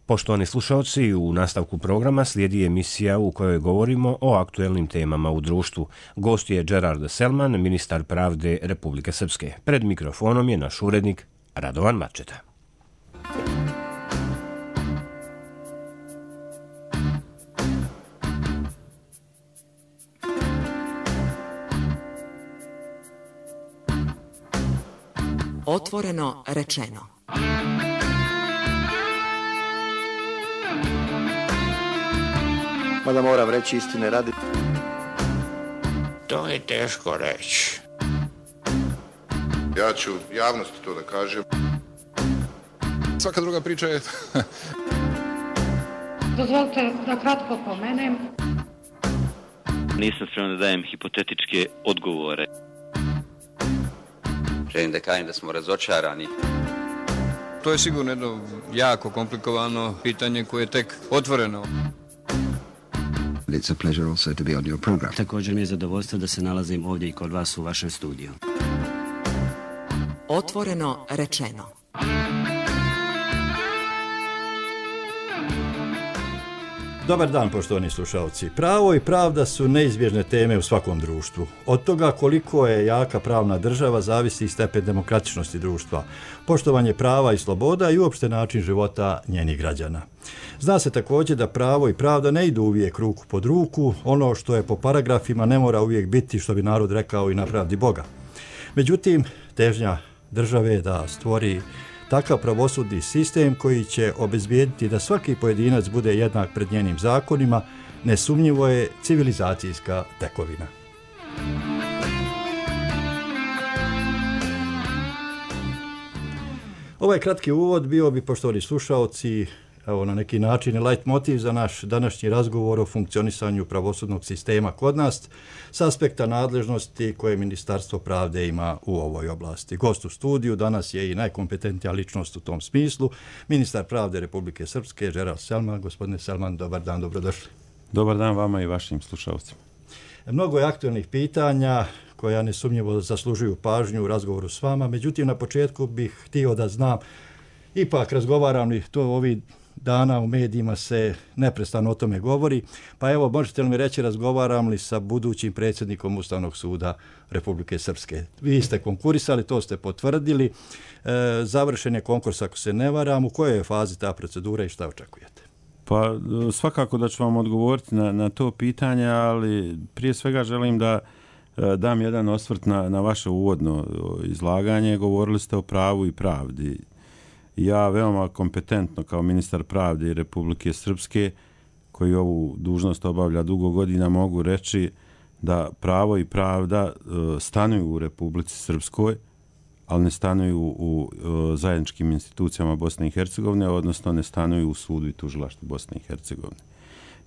Poštovani slušalci, u nastavku programa slijedi emisija u kojoj govorimo o aktuelnim temama u društvu. Gost je Gerard Selman, ministar pravde Republike Srpske. Pred mikrofonom je naš urednik Radovan Mačeta. Otvoreno rečeno. Mada moram reći istine radi. To je teško reći. Ja ću javnosti to da kažem. Svaka druga priča je... Dozvolite da kratko pomenem. Nisam spreman da dajem hipotetičke odgovore. Želim da kažem da smo razočarani. To je sigurno jedno jako komplikovano pitanje koje je tek otvoreno. It's a pleasure also to be on your program. Također mi je zadovoljstvo da se nalazim ovdje i kod vas u vašem studiju. Otvoreno rečeno. Dobar dan, poštovani slušalci. Pravo i pravda su neizbježne teme u svakom društvu. Od toga koliko je jaka pravna država zavisi stepen demokratičnosti društva, poštovanje prava i sloboda i uopšte način života njenih građana. Zna se također da pravo i pravda ne idu uvijek ruku pod ruku, ono što je po paragrafima ne mora uvijek biti, što bi narod rekao, i na pravdi Boga. Međutim, težnja države je da stvori takav pravosudni sistem koji će obezbijediti da svaki pojedinac bude jednak pred njenim zakonima, nesumnjivo je civilizacijska tekovina. Ovaj kratki uvod bio bi, poštovani slušaoci, evo, na neki način light motiv za naš današnji razgovor o funkcionisanju pravosudnog sistema kod nas s aspekta nadležnosti koje Ministarstvo pravde ima u ovoj oblasti. Gost u studiju danas je i najkompetentnija ličnost u tom smislu, ministar pravde Republike Srpske, Gerard Selman. Gospodine Selman, dobar dan, dobrodošli. Dobar dan vama i vašim slušalcima. Mnogo je aktualnih pitanja koja nesumnjivo zaslužuju pažnju u razgovoru s vama, međutim na početku bih htio da znam, ipak razgovaram li to ovih dana u medijima se neprestano o tome govori, pa evo, možete li mi reći, razgovaram li sa budućim predsjednikom Ustavnog suda Republike Srpske? Vi ste konkurisali, to ste potvrdili, završen je konkurs ako se ne varam, u kojoj je fazi ta procedura i šta očekujete? Pa svakako da ću vam odgovoriti na to pitanje, ali prije svega želim da dam jedan osvrt na vaše uvodno izlaganje. Govorili ste o pravu i pravdi. Ja veoma kompetentno kao ministar pravde Republike Srpske, koji ovu dužnost obavlja dugo godina, mogu reći da pravo i pravda stanuju u Republici Srpskoj, ali ne stanuju u zajedničkim institucijama Bosne i Hercegovine, odnosno ne stanuju u sudu i tužilaštvu Bosne i Hercegovine.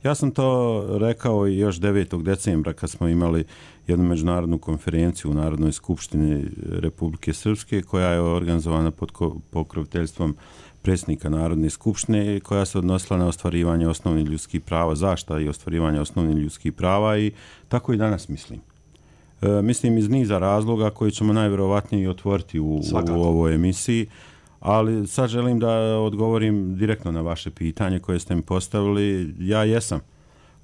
Ja sam to rekao i još 9. decembra kad smo imali jednu međunarodnu konferenciju u Narodnoj skupštini Republike Srpske, koja je organizovana pod pokroviteljstvom predsjednika Narodne skupštine i koja se odnosila na ostvarivanje osnovnih ljudskih prava, zaštita i ostvarivanje osnovnih ljudskih prava, i tako i danas mislim. Mislim iz niza razloga koji ćemo najvjerovatnije otvoriti u ovoj emisiji, ali sad želim da odgovorim direktno na vaše pitanje koje ste mi postavili. Ja jesam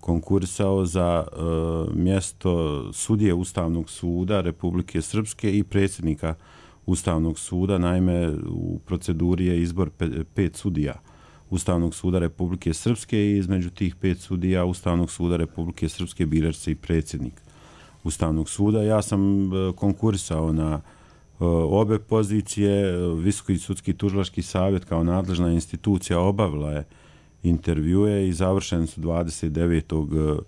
konkurisao za mjesto sudije Ustavnog suda Republike Srpske i predsjednika Ustavnog suda. Naime, u proceduri je izbor 5 sudija Ustavnog suda Republike Srpske i između tih 5 sudija Ustavnog suda Republike Srpske birač se i predsjednik Ustavnog suda. Ja sam konkurisao na obe pozicije. Visoki sudski tužilački savjet kao nadležna institucija obavila je intervjue i završeni su 29.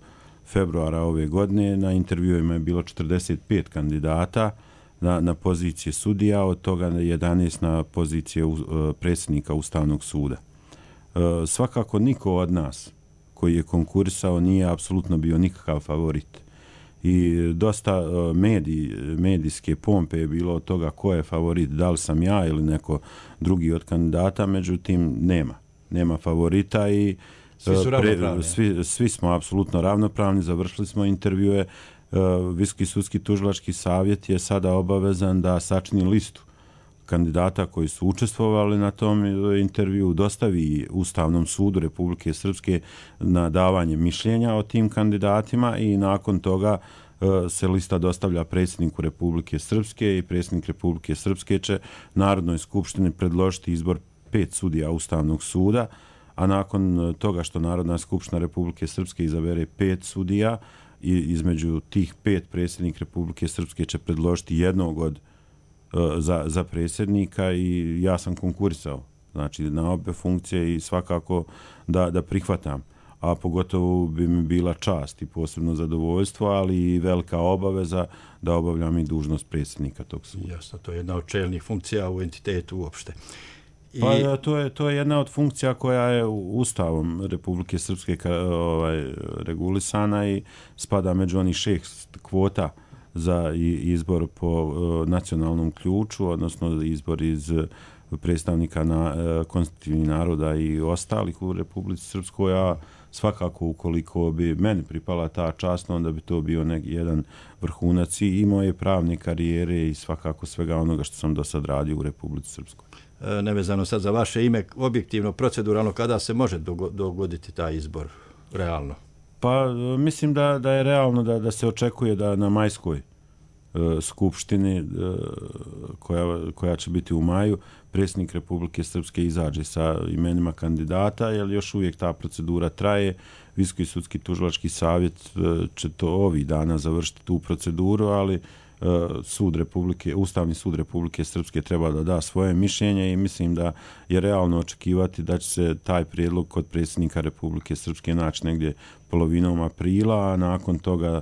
februara ove godine. Na intervjuima je bilo 45 kandidata na pozicije sudija, od toga 11 na pozicije predsjednika Ustavnog suda. Svakako niko od nas koji je konkurisao nije apsolutno bio nikakav favorit. I dosta medijske pompe je bilo od toga ko je favorit, da li sam ja ili neko drugi od kandidata, međutim nema favorita i svi smo apsolutno ravnopravni, završili smo intervjue. Visoki sudski tužilački savjet je sada obavezan da sačini listu kandidata koji su učestvovali na tom intervju dostavi Ustavnom sudu Republike Srpske na davanje mišljenja o tim kandidatima i nakon toga se lista dostavlja predsjedniku Republike Srpske i predsjednik Republike Srpske će Narodnoj skupštini predložiti izbor 5 sudija Ustavnog suda, a nakon toga što Narodna skupština Republike Srpske izabere 5 sudija i između tih 5 predsjednik Republike Srpske će predložiti jednog za predsjednika i ja sam konkurisao znači na obe funkcije i svakako da prihvatam. A pogotovo bi mi bila čast i posebno zadovoljstvo, ali i velika obaveza da obavljam i dužnost predsjednika tog suda. Jasno, to je jedna od čelnih funkcija u entitetu uopšte. Pa to je jedna od funkcija koja je Ustavom Republike Srpske regulisana i spada među onih 6 kvota za izbor po nacionalnom ključu, odnosno izbor iz predstavnika konstitutivnih naroda i ostalih u Republici Srpskoj, a svakako ukoliko bi meni pripala ta čast, onda bi to bio jedan vrhunac i moje pravne karijere i svakako svega onoga što sam do sad radio u Republici Srpskoj. Nevezano sad za vaše ime, objektivno, proceduralno, kada se može dogoditi taj izbor realno? Pa mislim da je realno da se očekuje da na majskoj skupštini koja će biti u maju, predsjednik Republike Srpske izađe sa imenima kandidata, jer još uvijek ta procedura traje. Visoki sudski tužilački savjet će to ovih dana završiti tu proceduru, ali Ustavni sud Republike Srpske treba da da svoje mišljenje i mislim da je realno očekivati da će se taj prijedlog kod predsjednika Republike Srpske naći negdje polovinom aprila, a nakon toga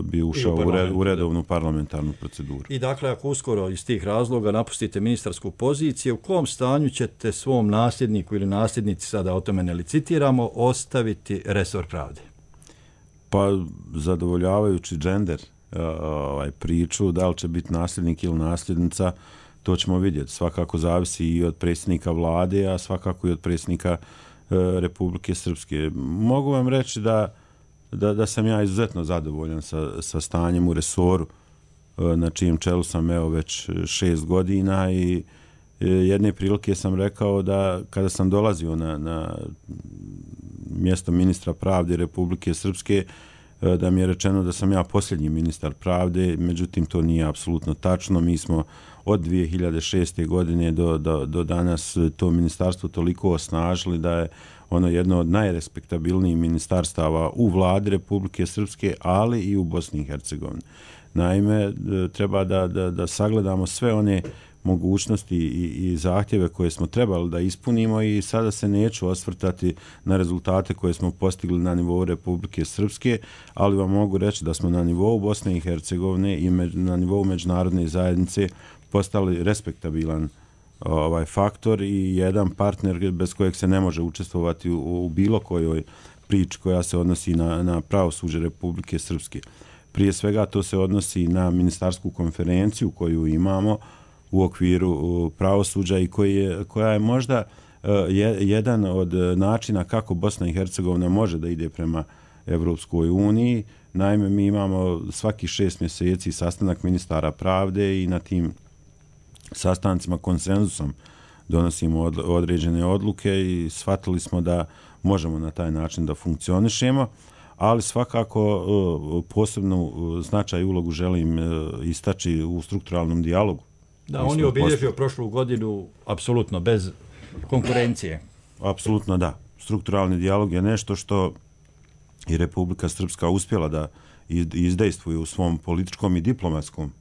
bi ušao u redovnu parlamentarnu proceduru. I dakle, ako uskoro iz tih razloga napustite ministarsku poziciju, u kom stanju ćete svom nasljedniku ili nasljednici, sada o tome ne licitiramo, ostaviti resor pravde? Pa zadovoljavajući džender priču, da li će biti nasljednik ili nasljednica, to ćemo vidjeti. Svakako zavisi i od predsjednika vlade, a svakako i od predsjednika Republike Srpske. Mogu vam reći da sam ja izuzetno zadovoljan sa stanjem u resoru na čijem čelu sam već 6 godina i jedne prilike sam rekao da kada sam dolazio na mjesto ministra pravde Republike Srpske, da mi je rečeno da sam ja posljednji ministar pravde, međutim to nije apsolutno tačno. Mi smo od 2006. godine do danas to ministarstvo toliko osnažili da je ono jedno od najrespektabilnijih ministarstava u vladi Republike Srpske, ali i u Bosni i Hercegovini. Naime, treba da sagledamo sve one mogućnosti i zahtjeve koje smo trebali da ispunimo i sada se neću osvrtati na rezultate koje smo postigli na nivou Republike Srpske, ali vam mogu reći da smo na nivou Bosne i Hercegovine i na nivou međunarodne zajednice postali respektabilan faktor i jedan partner bez kojeg se ne može učestvovati u bilo kojoj priči koja se odnosi na pravosuđe Republike Srpske. Prije svega to se odnosi na ministarsku konferenciju koju imamo u okviru pravosuđa i koja je možda jedan od načina kako Bosna i Hercegovina može da ide prema Evropskoj uniji. Naime, mi imamo svaki 6 mjeseci sastanak ministara pravde i na tim sastancima konsenzusom donosimo određene odluke i shvatili smo da možemo na taj način da funkcionišemo, ali svakako posebnu značaj i ulogu želim istaći u strukturalnom dijalogu. Da, on je obilježio prošlu godinu apsolutno bez konkurencije. Apsolutno da. Strukturalni dijalog je nešto što i Republika Srpska uspjela da izdejstvuje u svom političkom i diplomatskom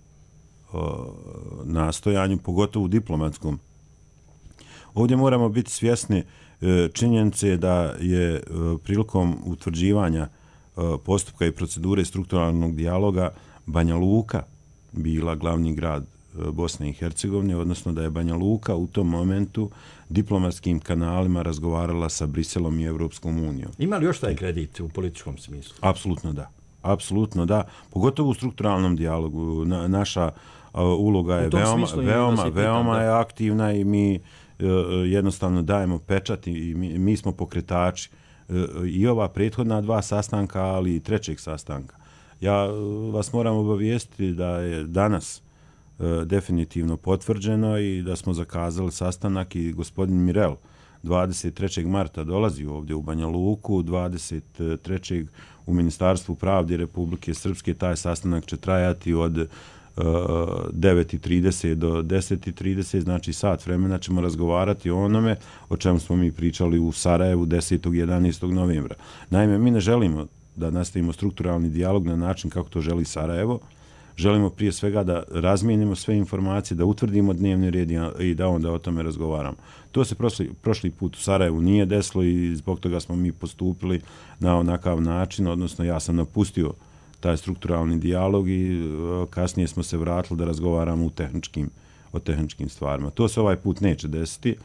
nastojanju, pogotovo diplomatskom. Ovdje moramo biti svjesni činjenice da je prilikom utvrđivanja postupka i procedure strukturalnog dijaloga Banja Luka bila glavni grad Bosne i Hercegovine, odnosno da je Banja Luka u tom momentu diplomatskim kanalima razgovarala sa Briselom i Evropskom unijom. Ima li još taj kredit u političkom smislu? Apsolutno da. Apsolutno da. Pogotovo u strukturalnom dijalogu. Naša uloga je veoma je aktivna i mi jednostavno dajemo pečat i mi smo pokretači i ova prethodna 2 sastanka, ali i 3. sastanka. Ja vas moram obavijestiti da je danas definitivno potvrđeno i da smo zakazali sastanak i gospodin Mirel 23. marta dolazi ovdje u Banja Luku, 23. u Ministarstvu pravde Republike Srpske. Taj sastanak će trajati od 9:30 do 10:30, znači sat vremena ćemo razgovarati o onome o čemu smo mi pričali u Sarajevu 10. i 11. novembra. Naime, mi ne želimo da nastavimo strukturalni dijalog na način kako to želi Sarajevo. Želimo prije svega da razmijenimo sve informacije, da utvrdimo dnevni red i da onda o tome razgovaramo. To se prošli put u Sarajevu nije desilo i zbog toga smo mi postupili na onakav način, odnosno ja sam napustio taj strukturalni dijalog i kasnije smo se vratili da razgovaramo o tehničkim stvarima. To se ovaj put neće desiti.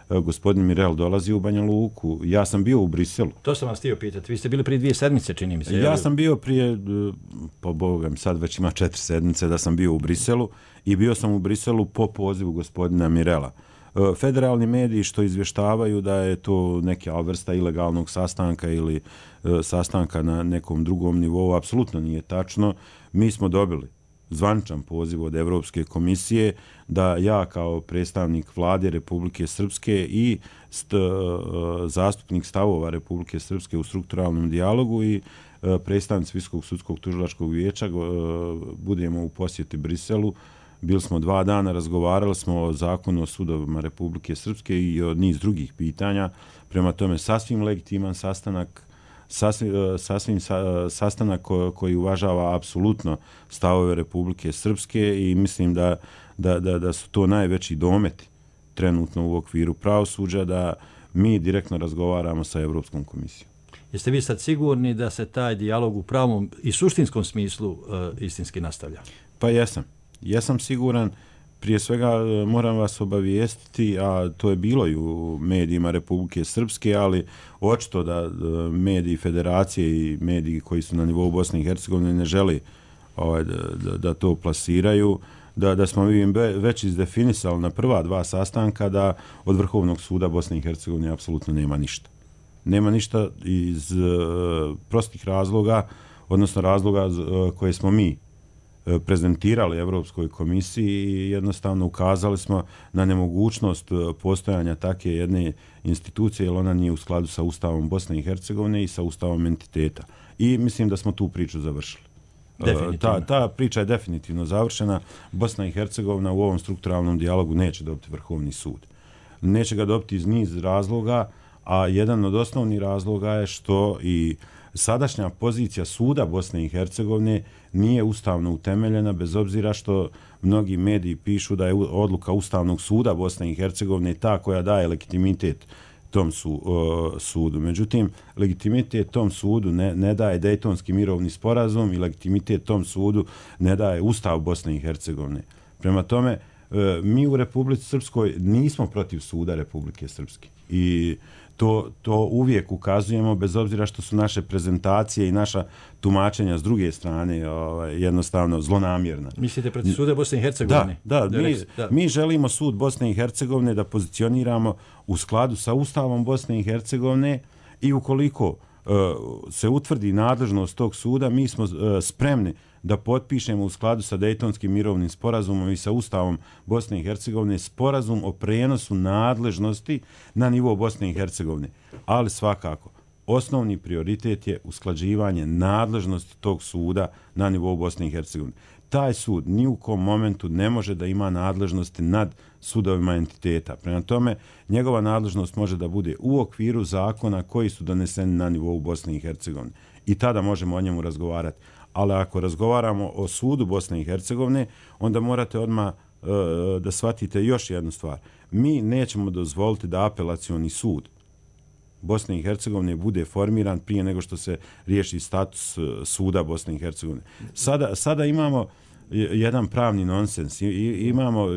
Gospodin Mirel dolazi u Banja Luku. Ja sam bio u Briselu. To sam vas htio pitati. Vi ste bili prije 2 sedmice, čini mi se. Ja sam bio prije, po Boga mi sad već ima 4 sedmice da sam bio u Briselu i bio sam u Briselu po pozivu gospodina Mirela. Federalni mediji što izvještavaju da je to neka vrsta ilegalnog sastanka ili sastanka na nekom drugom nivou, apsolutno nije tačno. Mi smo dobili zvaničan poziv od Evropske komisije da ja kao predstavnik vlade Republike Srpske i zastupnik stavova Republike Srpske u strukturalnom dijalogu i predstavnici Visokog sudskog tužilačkog vijeća budemo u posjeti Briselu. Bili smo 2 dana, razgovarali smo o zakonu o sudovima Republike Srpske i o niz drugih pitanja. Prema tome, sasvim legitiman sastanak, sastanak koji uvažava apsolutno stavove Republike Srpske i mislim da su to najveći dometi trenutno u okviru pravosuđa, da mi direktno razgovaramo sa Evropskom komisijom. Jeste vi sad sigurni da se taj dijalog u pravom i suštinskom smislu istinski nastavlja? Pa jesam. Jesam siguran. Prije svega moram vas obavijestiti, a to je bilo i u medijima Republike Srpske, ali očito da mediji federacije i mediji koji su na nivou Bosne i Hercegovine ne želi da to plasiraju, da smo mi već izdefinisali na prva 2 sastanka da od Vrhovnog suda Bosne i Hercegovine apsolutno nema ništa. Nema ništa iz prostih razloga, odnosno razloga koje smo mi prezentirali Evropskoj komisiji i jednostavno ukazali smo na nemogućnost postojanja takve jedne institucije, jer ona nije u skladu sa Ustavom Bosne i Hercegovine i sa Ustavom entiteta. I mislim da smo tu priču završili. Ta priča je definitivno završena. Bosna i Hercegovina u ovom strukturalnom dijalogu neće dobiti Vrhovni sud. Neće ga dobiti iz niz razloga, a jedan od osnovnih razloga je što i sadašnja pozicija suda Bosne i Hercegovine nije ustavno utemeljena, bez obzira što mnogi mediji pišu da je odluka Ustavnog suda Bosne i Hercegovine ta koja daje legitimitet tom sudu. Međutim, legitimitet tom sudu ne daje Dejtonski mirovni sporazum i legitimitet tom sudu ne daje Ustav Bosne i Hercegovine. Prema tome, mi u Republici Srpskoj nismo protiv suda Republike Srpske i to uvijek ukazujemo, bez obzira što su naše prezentacije i naša tumačenja s druge strane jednostavno zlonamjerna. Mislite protiv suda Bosne i Hercegovine? Da. Mi želimo sud Bosne i Hercegovine da pozicioniramo u skladu sa Ustavom Bosne i Hercegovine i ukoliko se utvrdi nadležnost tog suda, mi smo spremni da potpišemo u skladu sa Dejtonskim mirovnim sporazumom i sa Ustavom Bosne i Hercegovine sporazum o prenosu nadležnosti na nivo Bosne i Hercegovine. Ali svakako, osnovni prioritet je usklađivanje nadležnosti tog suda na nivou Bosne i Hercegovine. Taj sud ni u kom momentu ne može da ima nadležnosti nad sudovima entiteta. Prema tome, njegova nadležnost može da bude u okviru zakona koji su doneseni na nivou Bosne i Hercegovine. I tada možemo o njemu razgovarati. Ali ako razgovaramo o sudu Bosne i Hercegovine, onda morate odmah da shvatite još jednu stvar. Mi nećemo dozvoliti da apelacioni sud Bosne i Hercegovine bude formiran prije nego što se riješi status suda Bosne i Hercegovine. Sada imamo jedan pravni nonsens. Imamo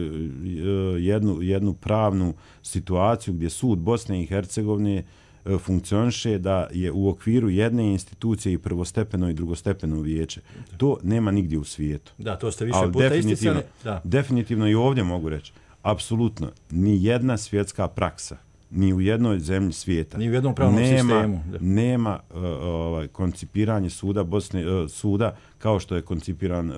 jednu pravnu situaciju gdje sud Bosne i Hercegovine funkcioniše da je u okviru jedne institucije i prvostepeno i drugostepeno vijeće. To nema nigdje u svijetu. Da, to ste više puta isticali. Definitivno i ovdje mogu reći. Apsolutno, ni jedna svjetska praksa ni u jednoj zemlji svijeta. Ni u jednom pravnom sistemu. Nema koncipiranje suda kao što je koncipiran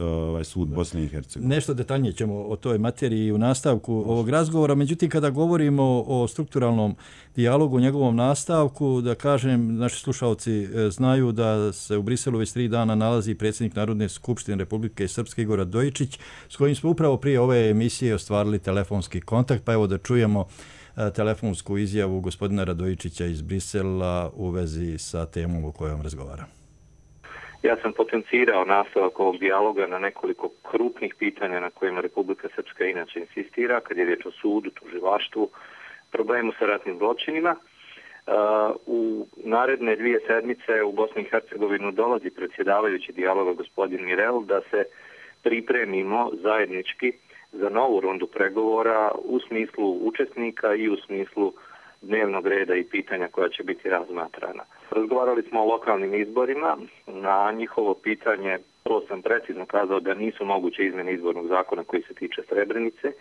sud Bosne i Hercegovine. Nešto detaljnije ćemo o toj materiji u nastavku ovog razgovora. Međutim, kada govorimo o strukturalnom dijalogu, njegovom nastavku, da kažem, naši slušalci znaju da se u Briselu već 3 dana nalazi predsjednik Narodne skupštine Republike Srpske Igor Radojičić, s kojim smo upravo prije ove emisije ostvarili telefonski kontakt, pa evo da čujemo telefonsku izjavu gospodina Radojičića iz Brisela u vezi sa temom o kojoj razgovara. Ja sam potencirao nastavak ovog dijaloga na nekoliko krupnih pitanja na kojima Republika Srpska inače insistira, kad je riječ o sudu, tužilaštvu, problemu sa ratnim zločinima. U naredne 2 sedmice u Bosnu i Hercegovinu dolazi predsjedavajući dijaloga gospodin Mirel da se pripremimo zajednički za novu rundu pregovora u smislu učesnika i u smislu dnevnog reda i pitanja koja će biti razmatrana. Razgovarali smo o lokalnim izborima. Na njihovo pitanje to sam precizno kazao da nisu moguće izmjene izbornog zakona koji se tiče Srebrenice,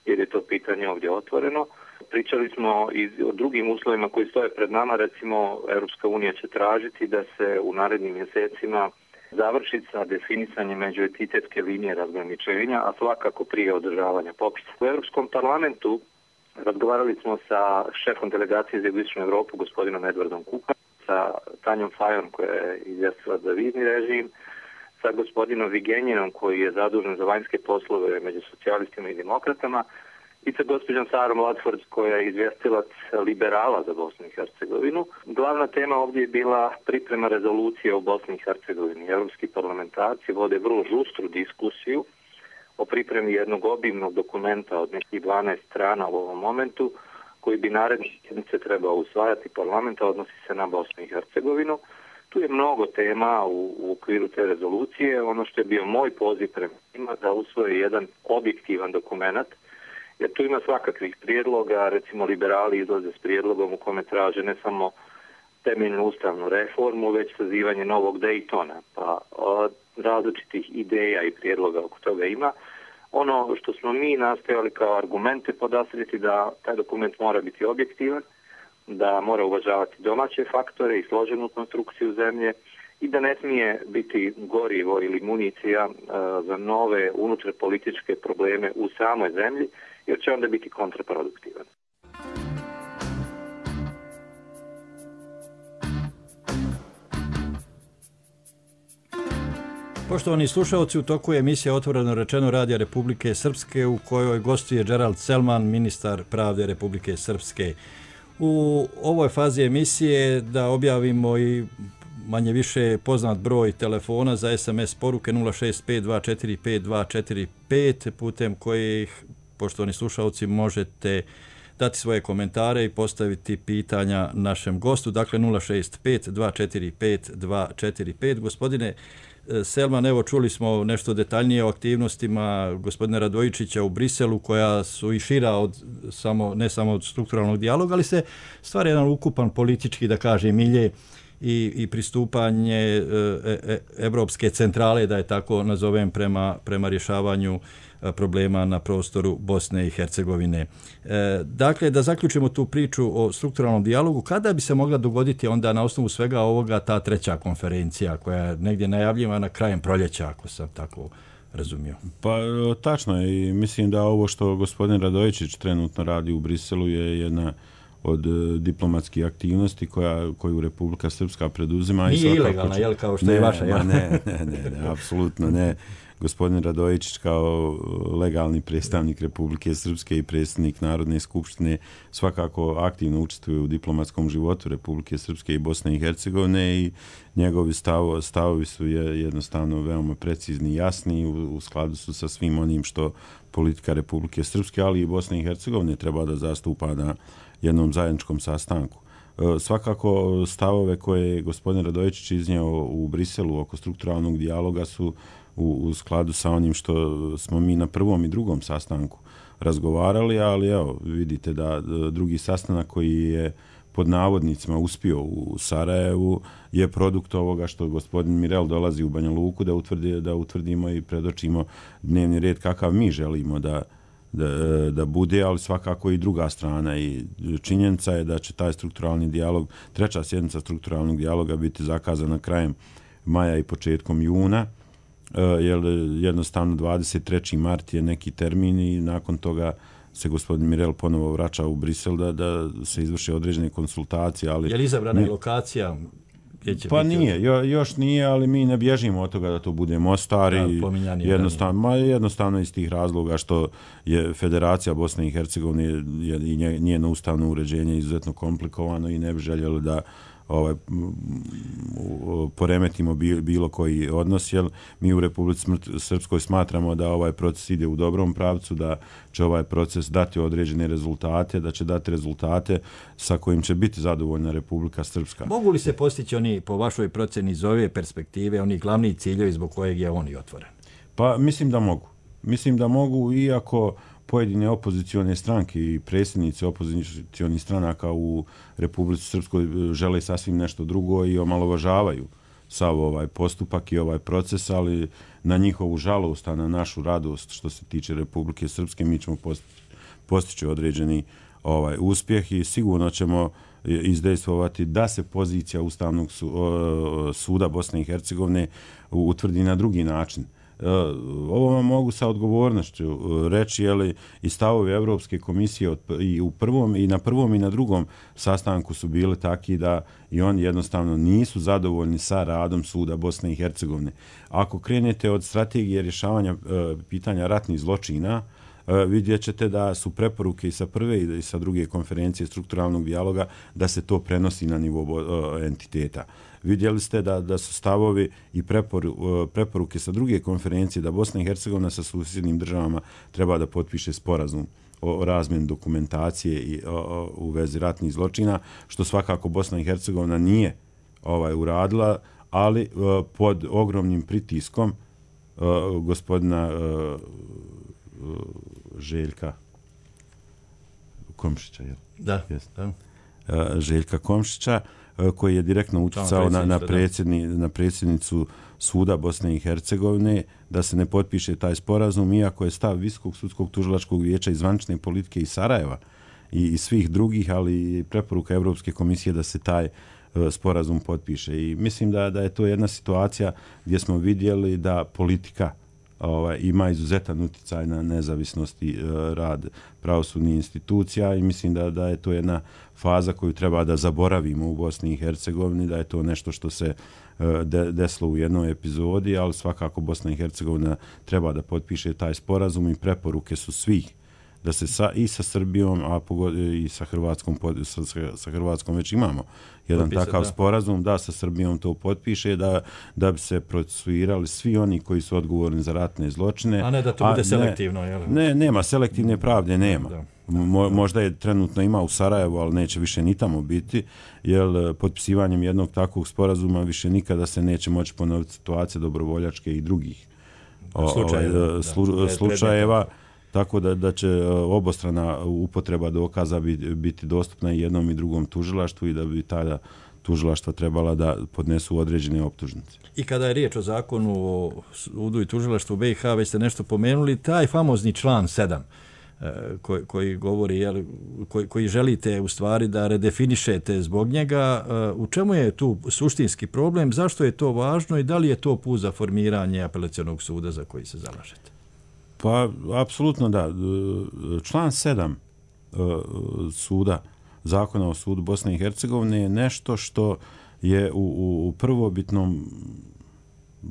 jer je to pitanje ovdje otvoreno. Pričali smo i o drugim uslovima koji stoje pred nama. Recimo, Europska unija će tražiti da se u narednim mjesecima završi sa definisanjem međuentitetske linije razgraničenja, a svakako prije održavanja popisa. U Europskom parlamentu razgovarali smo sa šefom delegacije za Jugoistočnu Europu, gospodinom Edvardom Kukanom, sa Tanjom Fajon koja je izvjestila za vizni režim, sa gospodinom Vigenjinom koji je zadužen za vanjske poslove među socijalistima i demokratama i sa gospođom Sarom Latford koja je izvjestilac liberala za Bosnu i Hercegovinu. Glavna tema ovdje je bila priprema rezolucije o Bosni i Hercegovini. Europski parlamentarci vode vrlo žustru diskusiju o pripremi jednog obimnog dokumenta od nekih 12 strana u ovom momentu, koji bi naredne sjednice trebao usvajati parlamenta, odnosi se na Bosnu i Hercegovinu. Tu je mnogo tema u okviru te rezolucije. Ono što je bio moj poziv prema njima da usvoje jedan objektivan dokument, jer tu ima svakakvih prijedloga, recimo liberali izlaze s prijedlogom u kome traže ne samo temeljnu ustavnu reformu, već sazivanje novog Daytona, pa od različitih ideja i prijedloga oko toga ima. Ono što smo mi nastojali kao argumente podastrijeti da taj dokument mora biti objektivan, da mora uvažavati domaće faktore i složenu konstrukciju zemlje i da ne smije biti gorivo ili municija za nove unutar političke probleme u samoj zemlji, jer će onda biti kontraproduktivan. Poštovani slušalci, u toku je emisija Otvoreno rečeno Radija Republike Srpske u kojoj gostuje Gerald Selman, ministar pravde Republike Srpske. U ovoj fazi emisije da objavimo i manje više poznat broj telefona za SMS poruke 065245245 putem kojih, poštovani slušalci, možete dati svoje komentare i postaviti pitanja našem gostu. Dakle, 065245245. Gospodine Selman, evo čuli smo nešto detaljnije o aktivnostima gospodina Radojičića u Briselu, koja su i šira od ne samo od strukturalnog dijaloga, ali se stvara jedan ukupan politički, da kažem, milje i pristupanje Evropske centrale, da je tako nazovem, prema rješavanju problema na prostoru Bosne i Hercegovine. Dakle, da zaključimo tu priču o strukturalnom dijalogu, kada bi se mogla dogoditi onda na osnovu svega ovoga ta 3. konferencija koja je negdje najavljivana krajem proljeća, ako sam tako razumio? Pa tačno je i mislim da ovo što gospodin Radojičić trenutno radi u Briselu je jedna od diplomatskih aktivnosti koju Republika Srpska preduzima. Nije ilegalna, jel, kao što je vaša? Ne, apsolutno ne. Gospodin Radojičić kao legalni predstavnik Republike Srpske i predsjednik Narodne skupštine svakako aktivno učestvuje u diplomatskom životu Republike Srpske i Bosne i Hercegovine i njegovi stavovi su jednostavno veoma precizni i jasni, u skladu su sa svim onim što politika Republike Srpske, ali i Bosne i Hercegovine treba da zastupa na jednom zajedničkom sastanku. Svakako stavove koje je gospodin Radojičić iznio u Briselu oko strukturalnog dijaloga su u skladu sa onim što smo mi na prvom i drugom sastanku razgovarali, ali evo, vidite da drugi sastanak koji je pod navodnicima uspio u Sarajevu je produkt ovoga što gospodin Mirel dolazi u Banja Luku da utvrdimo i predočimo dnevni red kakav mi želimo da bude, ali svakako i druga strana i činjenica je da će taj strukturalni dijalog, treća sjednica strukturalnog dijaloga biti zakazana krajem maja i početkom juna, jer jednostavno 23. mart je neki termin i nakon toga se gospodin Mirel ponovo vraća u Brisel da se izvrše određene konsultacije. Ali je li izabrana lokacija? Pa nije, još nije, ali mi ne bježimo od toga da to bude Mostar i jednostavno iz tih razloga što je Federacija Bosne i Hercegovine i njeno ustavno uređenje izuzetno komplikovano i ne bi željeli da poremetimo bilo koji odnos, jer mi u Republici Srpskoj smatramo da ovaj proces ide u dobrom pravcu, da će ovaj proces dati određene rezultate, da će dati rezultate sa kojim će biti zadovoljna Republika Srpska. Mogu li se postići oni, po vašoj procjeni iz ove perspektive, oni glavni ciljevi zbog kojeg je on i otvoren? Pa mislim da mogu. Mislim da mogu, iako pojedine opozicione stranke i predsjednici opozicionih stranaka u Republici Srpskoj žele sasvim nešto drugo i omalovažavaju sav ovaj postupak i ovaj proces, ali na njihovu žalost, a na našu radost što se tiče Republike Srpske, mi ćemo postići određeni uspjeh i sigurno ćemo izdejstvovati da se pozicija Ustavnog suda Bosne i Hercegovine utvrdi na drugi način. Ovo vam mogu sa odgovornošću reći, jer i stavovi Evropske komisije i na prvom i na drugom sastanku su bili taki da i oni jednostavno nisu zadovoljni sa radom suda Bosne i Hercegovine. Ako krenete od strategije rješavanja pitanja ratnih zločina, vidjet ćete da su preporuke i sa prve i sa druge konferencije strukturalnog dijaloga da se to prenosi na nivo entiteta. Vidjeli ste da su stavovi i preporuke sa druge konferencije da Bosna i Hercegovina sa susjednim državama treba da potpiše sporazum o razmjeni dokumentacije i u vezi ratnih zločina, što svakako Bosna i Hercegovina nije uradila, ali pod ogromnim pritiskom gospodina Željka Komšića, jel? Da. Željka Komšića, koji je direktno utjecao na predsjednicu suda Bosne i Hercegovine da se ne potpiše taj sporazum, iako je stav Visokog sudskog tužilačkog vijeća i zvanične politike iz Sarajeva i svih drugih, ali i preporuka Evropske komisije da se taj sporazum potpiše. I mislim da je to jedna situacija gdje smo vidjeli da politika ima izuzetan utjecaj na nezavisnost i rad pravosudnih institucija i mislim da je to jedna faza koju treba da zaboravimo u Bosni i Hercegovini, da je to nešto što se desilo u jednoj epizodi, ali svakako Bosna i Hercegovina treba da potpiše taj sporazum i preporuke su svih da se i sa Srbijom, a i sa Hrvatskom već imamo jedan takav sporazum, da sa Srbijom to potpiše, da bi se procesuirali svi oni koji su odgovorni za ratne zločine. A ne da to bude selektivno, jel? Ne, nema, selektivne pravde nema. Možda je trenutno ima u Sarajevu, ali neće više ni tamo biti, jer potpisivanjem jednog takvog sporazuma više nikada se neće moći ponoviti situacije dobrovoljačke i drugih slučajeva. Tako da će obostrana upotreba dokaza biti dostupna i jednom i drugom tužilaštvu i da bi tada tužilaštva trebala da podnesu određene optužnice. I kada je riječ o zakonu o sudu i tužilaštvu BiH, već ste nešto pomenuli, taj famozni član 7 koji govori, koji želite u stvari da redefinišete zbog njega, u čemu je tu suštinski problem, zašto je to važno i da li je to put za formiranje apelacionog suda za koji se zalažete? Pa, apsolutno da. Član 7 suda, zakona o sudu Bosne i Hercegovine je nešto što je u prvobitnom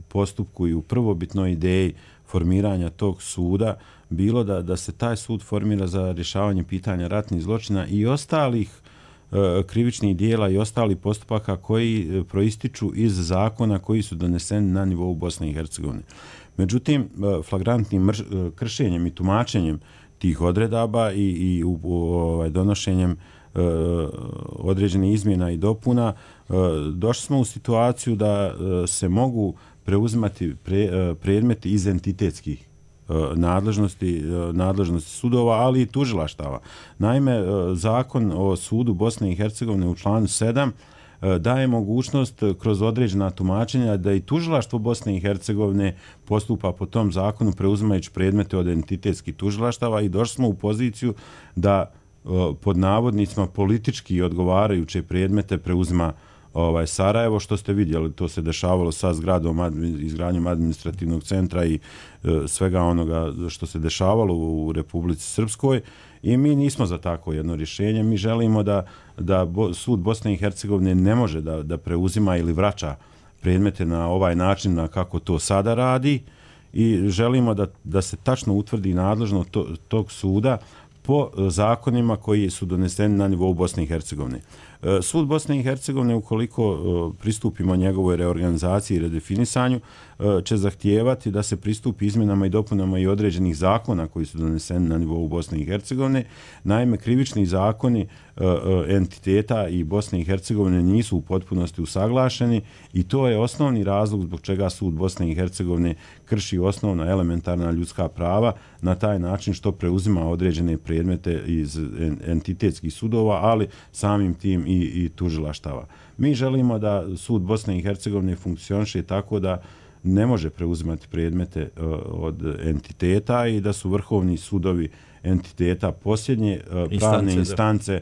postupku i u prvobitnoj ideji formiranja tog suda bilo da se taj sud formira za rješavanje pitanja ratnih zločina i ostalih krivičnih dijela i ostalih postupaka koji proističu iz zakona koji su doneseni na nivou Bosne i Hercegovine. Međutim, flagrantnim kršenjem i tumačenjem tih odredaba i donošenjem određenih izmjena i dopuna došli smo u situaciju da se mogu preuzimati predmeti iz entitetskih nadležnosti sudova, ali i tužilaštava. Naime, zakon o sudu Bosne i Hercegovine u članu 7 daje mogućnost kroz određena tumačenja da i tužilaštvo Bosne i Hercegovine postupa po tom zakonu preuzimajući predmete od entitetskih tužilaštava i došli smo u poziciju da pod navodnicima politički odgovarajuće predmete preuzima Sarajevo, što ste vidjeli, to se dešavalo sa zgradom, izgradnjom administrativnog centra i svega onoga što se dešavalo u Republici Srpskoj i mi nismo za tako jedno rješenje. Mi želimo da sud Bosne i Hercegovine ne može da preuzima ili vraća predmete na ovaj način na kako to sada radi i želimo da se tačno utvrdi nadležnost tog suda po zakonima koji su doneseni na nivou Bosne i Hercegovine. Sud Bosne i Hercegovine, ukoliko pristupimo njegovoj reorganizaciji i redefinisanju, će zahtijevati da se pristupi izmjenama i dopunama i određenih zakona koji su doneseni na nivou Bosne i Hercegovine. Naime, krivični zakoni entiteta i Bosne i Hercegovine nisu u potpunosti usaglašeni i to je osnovni razlog zbog čega sud Bosne i Hercegovine krši osnovna elementarna ljudska prava na taj način što preuzima određene predmete iz entitetskih sudova, ali samim tim i tužilaštava. Mi želimo da sud Bosne i Hercegovine funkcioniše tako da ne može preuzimati predmete od entiteta i da su vrhovni sudovi entiteta posljednje pravne instance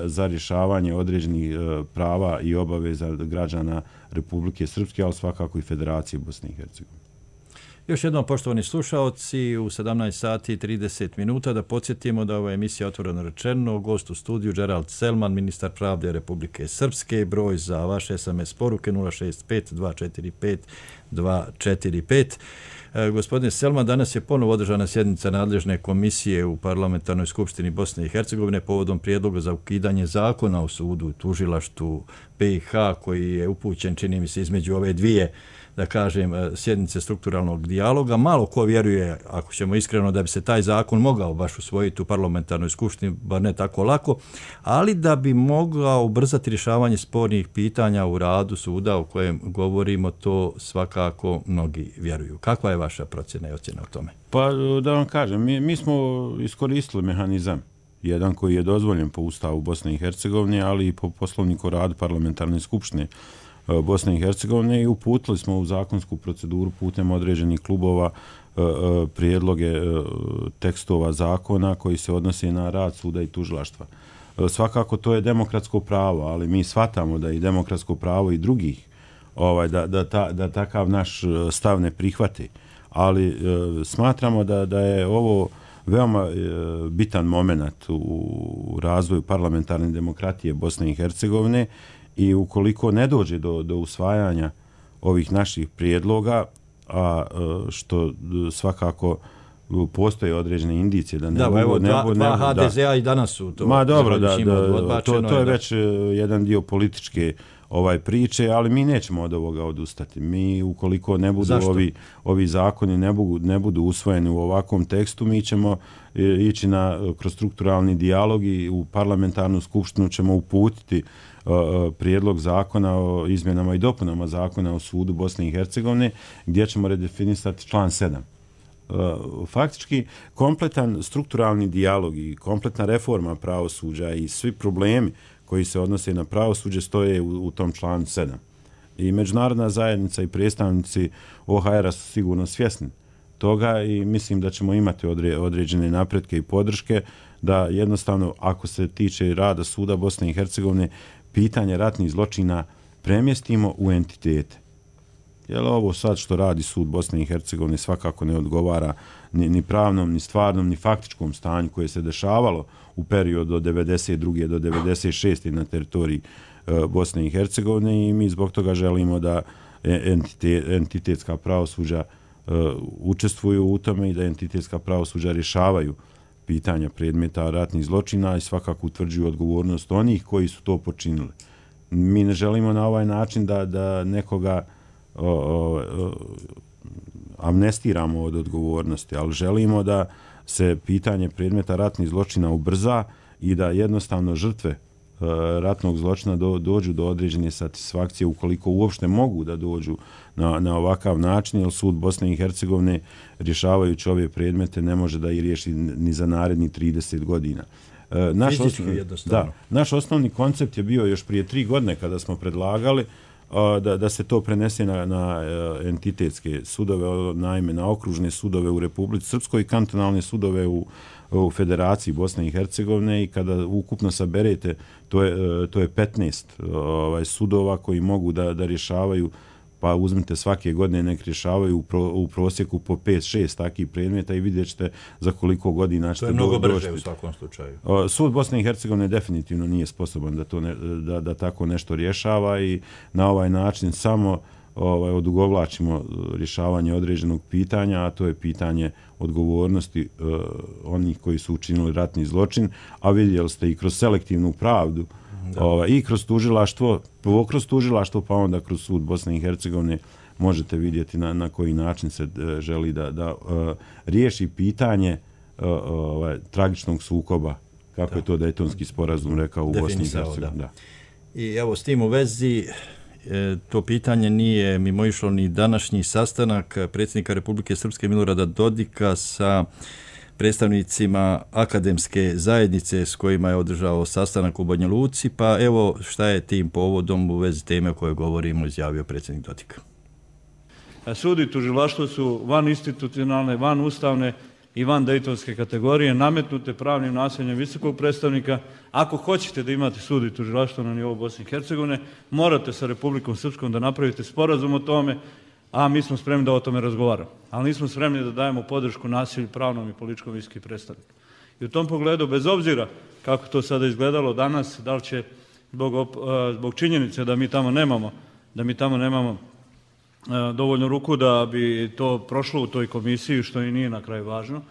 za rješavanje određenih prava i obaveza građana Republike Srpske, ali svakako i Federacije Bosne i Hercegovine. Još jednom, poštovani slušaoci, u 17 sati i 30 minuta da podsjetimo da ova emisija Otvoreno rečeno, gost u studiju Gerald Selman, ministar pravde Republike Srpske, broj za vaše SMS poruke 065 245 245. Gospodine Selman, danas je ponovo održana sjednica nadležne komisije u Parlamentarnoj skupštini Bosne i Hercegovine povodom prijedloga za ukidanje zakona o sudu i tužilaštvu BiH koji je upućen, čini mi se, između ove dvije, da kažem, sjednice strukturalnog dijaloga. Malo ko vjeruje, ako ćemo iskreno, da bi se taj zakon mogao baš usvojiti u parlamentarnoj skupštini, bar ne tako lako, ali da bi mogao ubrzati rješavanje spornih pitanja u radu suda o kojem govorimo, to svakako mnogi vjeruju. Kakva je vaša procjena i ocjena o tome? Pa da vam kažem, mi smo iskoristili mehanizam, jedan koji je dozvoljen po Ustavu Bosne i Hercegovine, ali i po poslovniku radu parlamentarne skupštine Bosne i Hercegovine i uputili smo u zakonsku proceduru putem određenih klubova prijedloge tekstova zakona koji se odnose na rad suda i tužilaštva. Svakako to je demokratsko pravo, ali mi shvatamo da je demokratsko pravo i drugih da takav naš stav ne prihvati. Ali smatramo da je ovo veoma bitan moment u razvoju parlamentarne demokratije Bosne i Hercegovine i ukoliko ne dođe do usvajanja ovih naših prijedloga, a što svakako postoje određene indicije da ne mogu... Dva HDZ-a i danas su to... Ma dobro, to je već jedan dio političke priče, ali mi nećemo od ovoga odustati. Mi, ukoliko ne budu ovi zakoni ne budu usvojeni u ovakvom tekstu, mi ćemo ići kroz strukturalni dijalog i u parlamentarnu skupštinu ćemo uputiti prijedlog zakona o izmjenama i dopunama zakona o sudu Bosne i Hercegovine, gdje ćemo redefinisati član 7. Faktički, kompletan strukturalni dijalog i kompletna reforma pravosuđa i svi problemi koji se odnose na pravosuđe stoje u tom članu 7. I međunarodna zajednica i predstavnici OHR-a su sigurno svjesni toga i mislim da ćemo imati određene napretke i podrške da jednostavno, ako se tiče rada suda Bosne i Hercegovine, pitanje ratnih zločina premjestimo u entitete. Jer ovo sad što radi sud Bosne i Hercegovine svakako ne odgovara ni pravnom, ni stvarnom, ni faktičkom stanju koje se dešavalo u periodu od 92. do 96. na teritoriji Bosne i Hercegovine i mi zbog toga želimo da entitetska pravosuđa učestvuju u tome i da entitetska pravosuđa rješavaju pitanja predmeta ratnih zločina i svakako utvrđuju odgovornost onih koji su to počinili. Mi ne želimo na ovaj način da nekoga amnestiramo od odgovornosti, ali želimo da se pitanje predmeta ratnih zločina ubrza i da jednostavno žrtve ratnog zločina dođu do određene satisfakcije ukoliko uopšte mogu da dođu na ovakav način, jer sud Bosne i Hercegovine rješavajući ove predmete ne može da ih riješi ni za naredni 30 godina. Naš osnovni koncept je bio još prije 3 godine kada smo predlagali da se to prenese na entitetske sudove, naime na okružne sudove u Republici Srpskoj i kantonalne sudove u Federaciji Bosne i Hercegovine, i kada ukupno saberete, to je 15 sudova koji mogu da rješavaju, pa uzmite svake godine nek rješavaju u prosjeku po 5-6 takih predmeta i vidjet ćete za koliko godina ćete doći. To je mnogo brže u svakom slučaju. Sud Bosne i Hercegovine definitivno nije sposoban da tako nešto rješava i na ovaj način samo odugovlačimo rješavanje određenog pitanja, a to je pitanje odgovornosti onih koji su učinili ratni zločin, a vidjeli ste i kroz selektivnu pravdu, i kroz tužilaštvo, pa onda kroz sud Bosne i Hercegovine možete vidjeti na koji način se želi da riješi pitanje tragičnog sukoba, kako je to Dejtonski sporazum rekao u Bosni i Hercegovini. I evo, s tim u vezi, to pitanje nije mimoišlo ni današnji sastanak predsjednika Republike Srpske Milorada Dodika sa predstavnicima akademske zajednice s kojima je održao sastanak u Banja Luci, pa evo šta je tim povodom u vezi teme o kojoj govorimo izjavio predsjednik Dodik. Sud i tužilaštvo su van institucionalne, van ustavne i van dejtonske kategorije, nametnute pravnim nasiljem visokog predstavnika. Ako hoćete da imate sud i tužilaštvo na nivou Bosne i Hercegovine, morate sa Republikom Srpskom da napravite sporazum o tome, a mi smo spremni da o tome razgovaramo. Ali nismo spremni da dajemo podršku nasilju pravnom i političkom visokim predstavniku. I u tom pogledu, bez obzira kako to sada izgledalo danas, da li će zbog činjenice da mi tamo nemamo dovoljno ruku da bi to prošlo u toj komisiji, što i nije na kraju važno.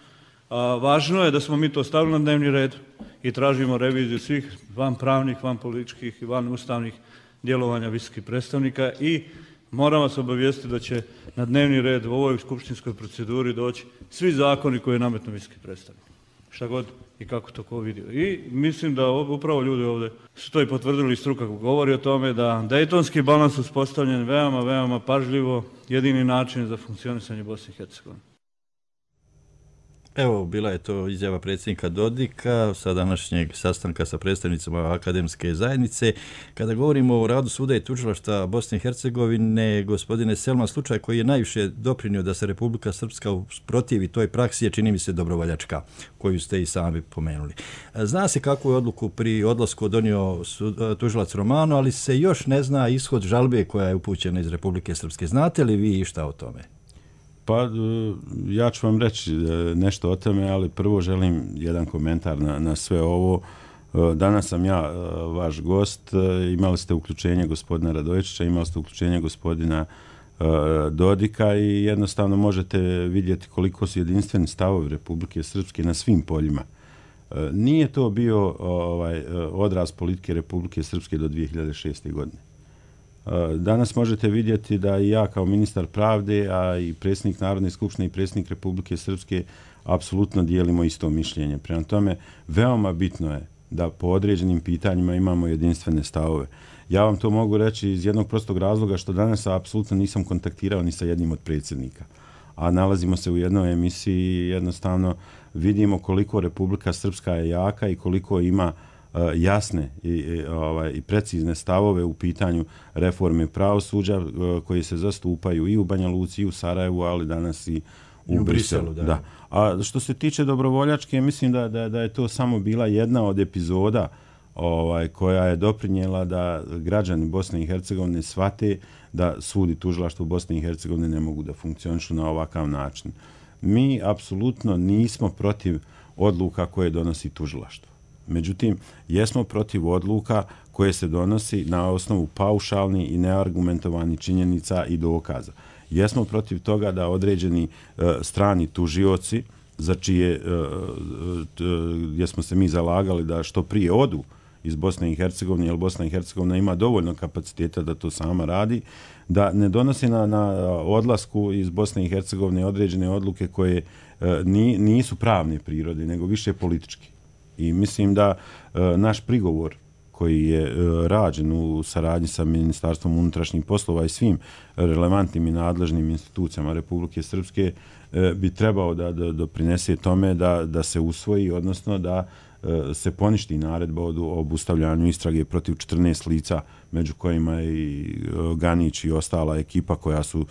Važno je da smo mi to stavili na dnevni red i tražimo reviziju svih van pravnih, van političkih i van ustavnih djelovanja visokih predstavnika i moram vas obavijestiti da će na dnevni red u ovoj skupštinskoj proceduri doći svi zakoni koje je nametno visoki predstavnik. Šta god i kako to ko vidio. I mislim da upravo ljudi ovdje su to i potvrdili, struka govori o tome da dejtonski balans uspostavljen veoma pažljivo, jedini način za funkcionisanje Bosne i Hercegovine. Evo, bila je to izjava predsjednika Dodika sa današnjeg sastanka sa predstavnicima akademske zajednice. Kada govorimo o radu suda i tužilaštva Bosne i Hercegovine, gospodine Selman, slučaj koji je najviše doprinio da se Republika Srpska usprotivi toj praksi je, čini mi se, dobrovoljačka, koju ste i sami pomenuli. Zna se kakvu je odluku pri odlasku donio tužilac Romano, ali se još ne zna ishod žalbe koja je upućena iz Republike Srpske. Znate li vi išta o tome? Pa ja ću vam reći nešto o tome, ali prvo želim jedan komentar na sve ovo. Danas sam ja vaš gost, imali ste uključenje gospodina Radojičića, imali ste uključenje gospodina Dodika i jednostavno možete vidjeti koliko su jedinstveni stavovi Republike Srpske na svim poljima. Nije to bio odraz politike Republike Srpske do 2006. godine. Danas možete vidjeti da i ja kao ministar pravde, a i predsjednik Narodne skupštine i predsjednik Republike Srpske apsolutno dijelimo isto mišljenje. Prema tome, veoma bitno je da po određenim pitanjima imamo jedinstvene stavove. Ja vam to mogu reći iz jednog prostog razloga što danas apsolutno nisam kontaktirao ni sa jednim od predsjednika. A nalazimo se u jednoj emisiji i jednostavno vidimo koliko Republika Srpska je jaka i koliko ima jasne i precizne stavove u pitanju reforme pravosuđa koji se zastupaju i u Banja Luci i u Sarajevu, ali danas i u Briselu. Da. A što se tiče dobrovoljačke, mislim da je to samo bila jedna od epizoda koja je doprinijela da građani Bosne i Hercegovine shvate da sud i tužilaštvo Bosne i Hercegovine ne mogu da funkcionišu na ovakav način. Mi apsolutno nismo protiv odluka koje donosi tužilaštvo. Međutim, jesmo protiv odluka koje se donosi na osnovu paušalnih i neargumentovanih činjenica i dokaza. Jesmo protiv toga da određeni strani tužioci, za čije, gdje smo se mi zalagali da što prije odu iz Bosne i Hercegovine, jer Bosna i Hercegovina ima dovoljno kapaciteta da to sama radi, da ne donosi na odlasku iz Bosne i Hercegovine određene odluke koje nisu pravne prirode, nego više političke. I mislim da naš prigovor koji je rađen u saradnji sa Ministarstvom unutrašnjih poslova i svim relevantnim i nadležnim institucijama Republike Srpske bi trebao da doprinese tome da se usvoji, odnosno da se poništi naredba o obustavljanju istrage protiv 14 lica, među kojima je i Ganić i ostala ekipa koja su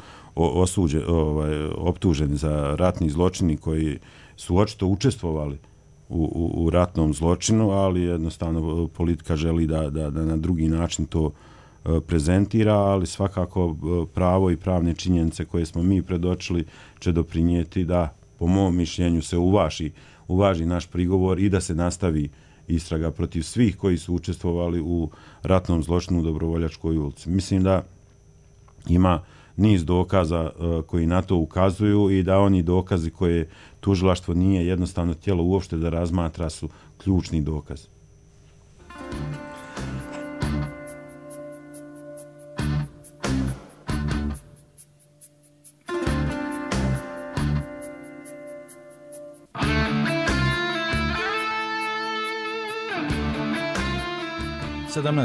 optuženi za ratni zločini, koji su očito učestvovali u ratnom zločinu, ali jednostavno politika želi da na drugi način to prezentira, ali svakako pravo i pravne činjenice koje smo mi predočili će doprinijeti da, po mom mišljenju, se uvaži naš prigovor i da se nastavi istraga protiv svih koji su učestvovali u ratnom zločinu u Dobrovoljačkoj ulici. Mislim da ima niz dokaza koji na to ukazuju i da oni dokazi koje tužilaštvo nije jednostavno htjelo uopšte da razmatra su ključni dokaz.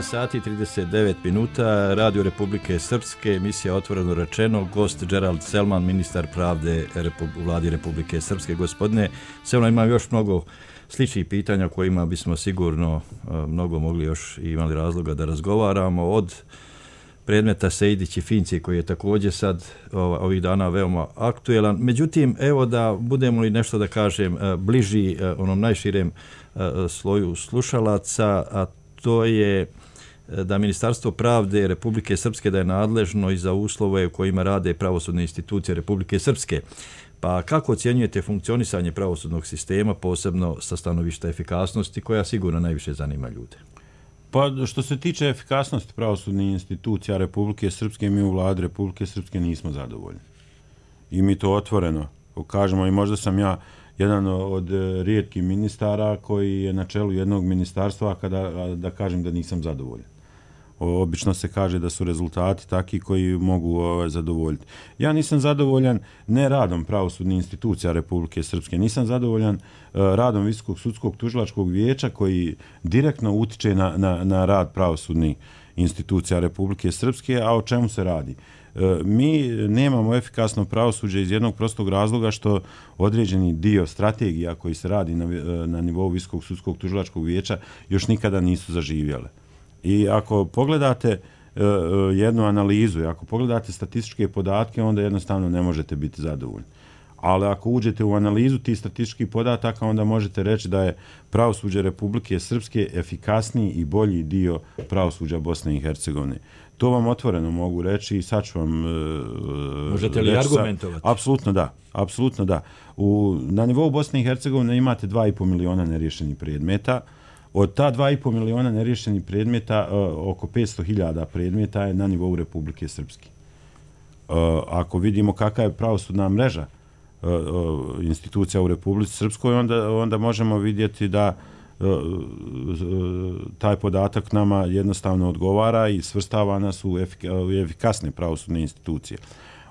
sati 39 minuta, Radio Republike Srpske, emisija Otvoreno rečeno, gost Gerald Selman, ministar pravde u vladi Republike Srpske. Gospodine Selman, ima još mnogo sličnih pitanja kojima bismo sigurno mnogo mogli još i imali razloga da razgovaramo, od predmeta Sejdić i Finci, koji je također sad ovih dana veoma aktuelan. Međutim, evo da budemo li nešto da kažem bliži onom najširem sloju slušalaca, a to je da Ministarstvo pravde Republike Srpske da je nadležno i za uslove u kojima rade pravosudne institucije Republike Srpske. Pa kako ocjenjujete funkcionisanje pravosudnog sistema, posebno sa stanovišta efikasnosti, koja sigurno najviše zanima ljude? Pa što se tiče efikasnosti pravosudnih institucija Republike Srpske, mi u vladi Republike Srpske nismo zadovoljni. I mi to otvoreno kažemo, i možda sam ja jedan od rijetkih ministara koji je na čelu jednog ministarstva kada da kažem da nisam zadovoljan. Obično se kaže da su rezultati takvi koji mogu zadovoljiti. Ja nisam zadovoljan ne radom pravosudnih institucija Republike Srpske, nisam zadovoljan radom Visokog sudskog tužilačkog vijeća koji direktno utiče na rad pravosudnih institucija Republike Srpske, a o čemu se radi? Mi nemamo efikasno pravosuđe iz jednog prostog razloga što određeni dio strategija koji se radi na nivou Visokog sudskog tužilačkog vijeća još nikada nisu zaživjele. I ako pogledate jednu analizu i ako pogledate statističke podatke, onda jednostavno ne možete biti zadovoljni. Ali ako uđete u analizu tih statističkih podataka, onda možete reći da je pravosuđe Republike Srpske efikasniji i bolji dio pravosuđa Bosne i Hercegovine. To vam otvoreno mogu reći i sad ću vam možete li argumentovati? Apsolutno da. Na nivou Bosne i Hercegovine imate 2,5 miliona neriješenih predmeta. Od ta 2,5 miliona neriješenih predmeta, oko 500.000 predmeta je na nivou Republike Srpske. Ako vidimo kakva je pravosudna mreža institucija u Republici Srpskoj, onda možemo vidjeti da taj podatak nama jednostavno odgovara i svrstava nas u efikasne pravosudne institucije.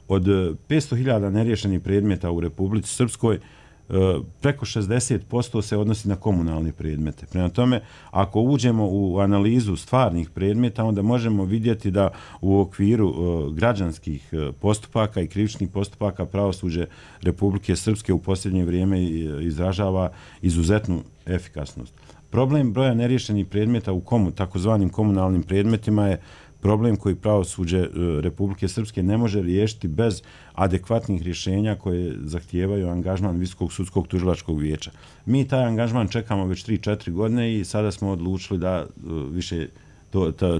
Od 500.000 neriješenih predmeta u Republici Srpskoj, preko 60% se odnosi na komunalne predmete. Prema tome, ako uđemo u analizu stvarnih predmeta, onda možemo vidjeti da u okviru građanskih postupaka i krivičnih postupaka pravosuđe Republike Srpske u posljednje vrijeme izražava izuzetnu efikasnost. Problem broja neriješenih predmeta u takozvanim komunalnim predmetima je problem koji pravosuđe Republike Srpske ne može riješiti bez adekvatnih rješenja koje zahtijevaju angažman Visokog sudskog tužilačkog vijeća. Mi taj angažman čekamo već 3-4 godine i sada smo odlučili da više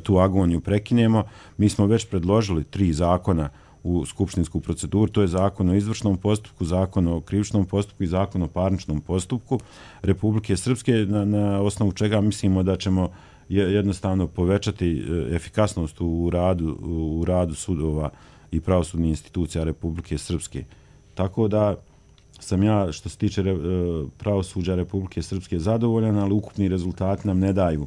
tu agoniju prekinemo. Mi smo već predložili 3 zakona u skupštinsku proceduru, to je zakon o izvršnom postupku, zakon o krivičnom postupku i zakon o parničnom postupku Republike Srpske, na osnovu čega mislimo da ćemo jednostavno povećati efikasnost u radu sudova i pravosudnih institucija Republike Srpske. Tako da sam ja, što se tiče pravosuđa Republike Srpske, zadovoljan, ali ukupni rezultati nam ne daju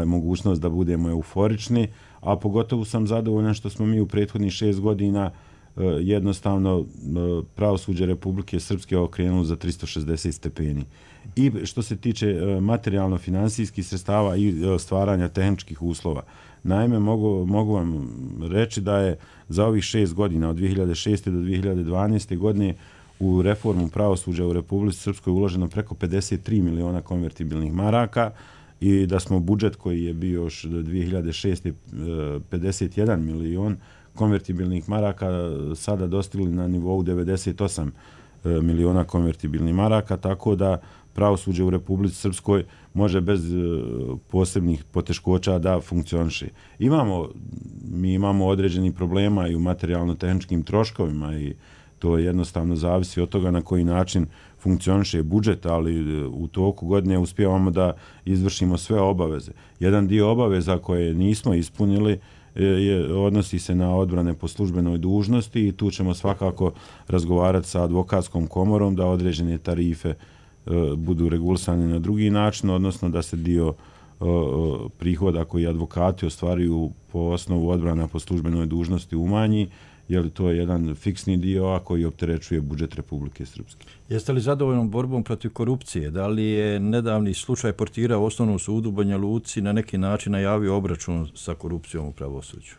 mogućnost da budemo euforični, a pogotovo sam zadovoljan što smo mi u prethodnih 6 godina jednostavno pravosuđe Republike Srpske okrenuli za 360 stepeni. I što se tiče materijalno-finansijskih sredstava i stvaranja tehničkih uslova. Naime, mogu vam reći da je za ovih 6 godina, od 2006. do 2012. godine, u reformu pravosuđa u Republici Srpskoj uloženo preko 53 miliona konvertibilnih maraka i da smo budžet koji je bio još do 2006. 51 milion konvertibilnih maraka sada dostigli na nivou 98 miliona konvertibilnih maraka, tako da pravosuđe u Republici Srpskoj može bez posebnih poteškoća da funkcioniše. Mi imamo određeni problema i u materijalno-tehničkim troškovima i to jednostavno zavisi od toga na koji način funkcioniše budžet, ali u toku godine uspijevamo da izvršimo sve obaveze. Jedan dio obaveza koje nismo ispunili odnosi se na odbrane po službenoj dužnosti i tu ćemo svakako razgovarati sa advokatskom komorom da određene tarife budu regulisane na drugi način, odnosno da se dio prihoda koji advokati ostvaruju po osnovu odbrana po službenoj dužnosti umanji, jer to je jedan fiksni dio, a koji opterećuje budžet Republike Srpske. Jeste li zadovoljnom borbom protiv korupcije? Da li je nedavni slučaj portira u Osnovnom sudu u Banja Luci na neki način najavio obračun sa korupcijom u pravosuđu?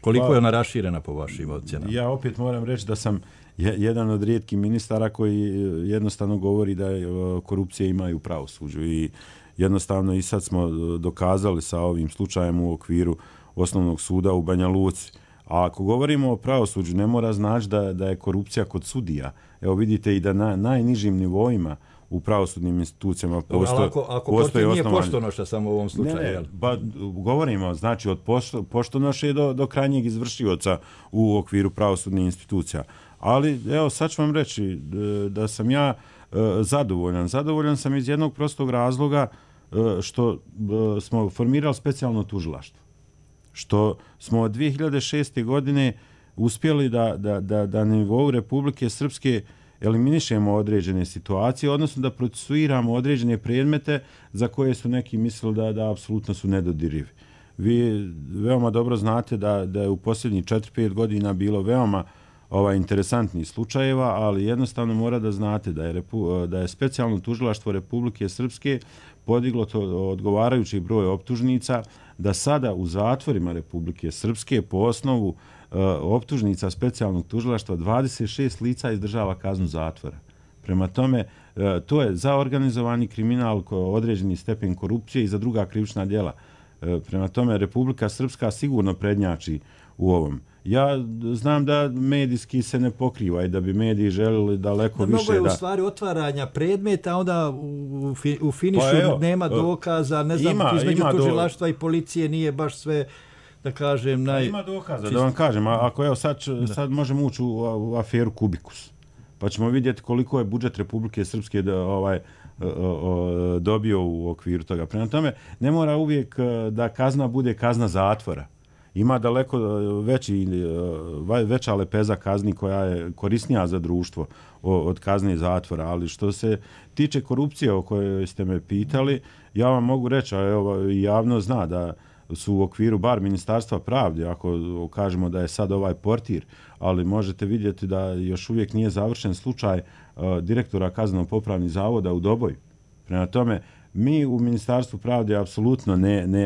Koliko je ona raširena po vašim ocjenama? Ja opet moram reći da sam jedan od rijetkih ministara koji jednostavno govori da korupcije imaju u pravosuđu i jednostavno i sad smo dokazali sa ovim slučajem u okviru Osnovnog suda u Banja Luci. A ako govorimo o pravosuđu, ne mora znači da je korupcija kod sudija. Evo vidite i da na najnižim nivoima u pravosudnim institucijama postoje... Ako portir nije poštonoša samo u ovom slučaju. Govorimo znači od poštonoše do krajnjeg izvršioca u okviru pravosudnih institucija. Ali evo sad ću vam reći da sam ja zadovoljan. Zadovoljan sam iz jednog prostog razloga što smo formirali specijalno tužilaštvo. Što smo od 2006. godine uspjeli da na nivou Republike Srpske eliminišemo određene situacije, odnosno da procesuiramo određene predmete za koje su neki mislili da apsolutno su nedodirivi. Vi veoma dobro znate da je u posljednjih 4-5 godina bilo veoma interesantnih slučajeva, ali jednostavno mora da znate da je specijalno tužilaštvo Republike Srpske podiglo odgovarajući broj optužnica, da sada u zatvorima Republike Srpske po osnovu optužnica specijalnog tužilaštva 26 lica izdržava kaznu zatvora. Prema tome, to je za organizovani kriminal, određeni stepen korupcije i za druga krivična djela. Prema tome, Republika Srpska sigurno prednjači u ovom. Ja znam da medijski se ne pokriva i da bi mediji želili daleko više da... Mnogo je u stvari otvaranja predmeta, onda u finišu nema dokaza, ne znam, između tužilaštva i policije nije baš sve, da kažem, Ima dokaza, da vam kažem, ako evo sad možemo ući u aferu Kubikus, pa ćemo vidjeti koliko je budžet Republike Srpske dobio u okviru toga. Prema tome, ne mora uvijek da kazna bude kazna zatvora. Ima daleko veća lepeza kazni koja je korisnija za društvo od kazne zatvora, ali što se tiče korupcije o kojoj ste me pitali, ja vam mogu reći, a javno zna da su u okviru bar Ministarstva pravde, ako kažemo da je sad ovaj portir, ali možete vidjeti da još uvijek nije završen slučaj direktora kazneno-popravnih zavoda u Doboju. Prema tome, mi u Ministarstvu pravde apsolutno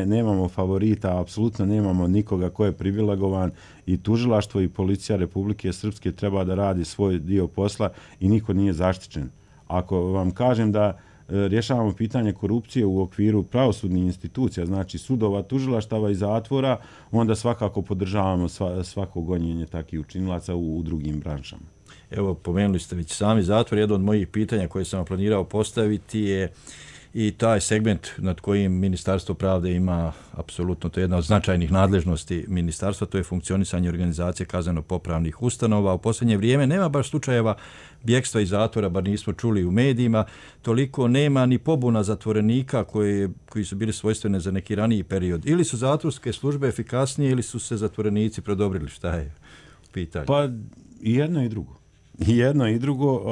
nemamo favorita, apsolutno nemamo nikoga ko je privilegovan i tužilaštvo i policija Republike Srpske treba da radi svoj dio posla i niko nije zaštićen. Ako vam kažem da rješavamo pitanje korupcije u okviru pravosudnih institucija, znači sudova, tužilaštava i zatvora, onda svakako podržavamo svako gonjenje takvih učinilaca u drugim branšama. Evo, pomenuli ste već sami zatvor. Jedno od mojih pitanja koje sam planirao postaviti je i taj segment nad kojim Ministarstvo pravde ima apsolutno, to je jedna od značajnih nadležnosti ministarstva, to je funkcionisanje organizacije kazneno-popravnih ustanova. U posljednje vrijeme nema baš slučajeva bjekstva iz zatvora, bar nismo čuli u medijima, toliko nema ni pobuna zatvorenika koji su bili svojstvene za neki raniji period. Ili su zatvorske službe efikasnije ili su se zatvorenici prodobrili, šta je pitanje? Pa i jedno i drugo. I jedno i drugo,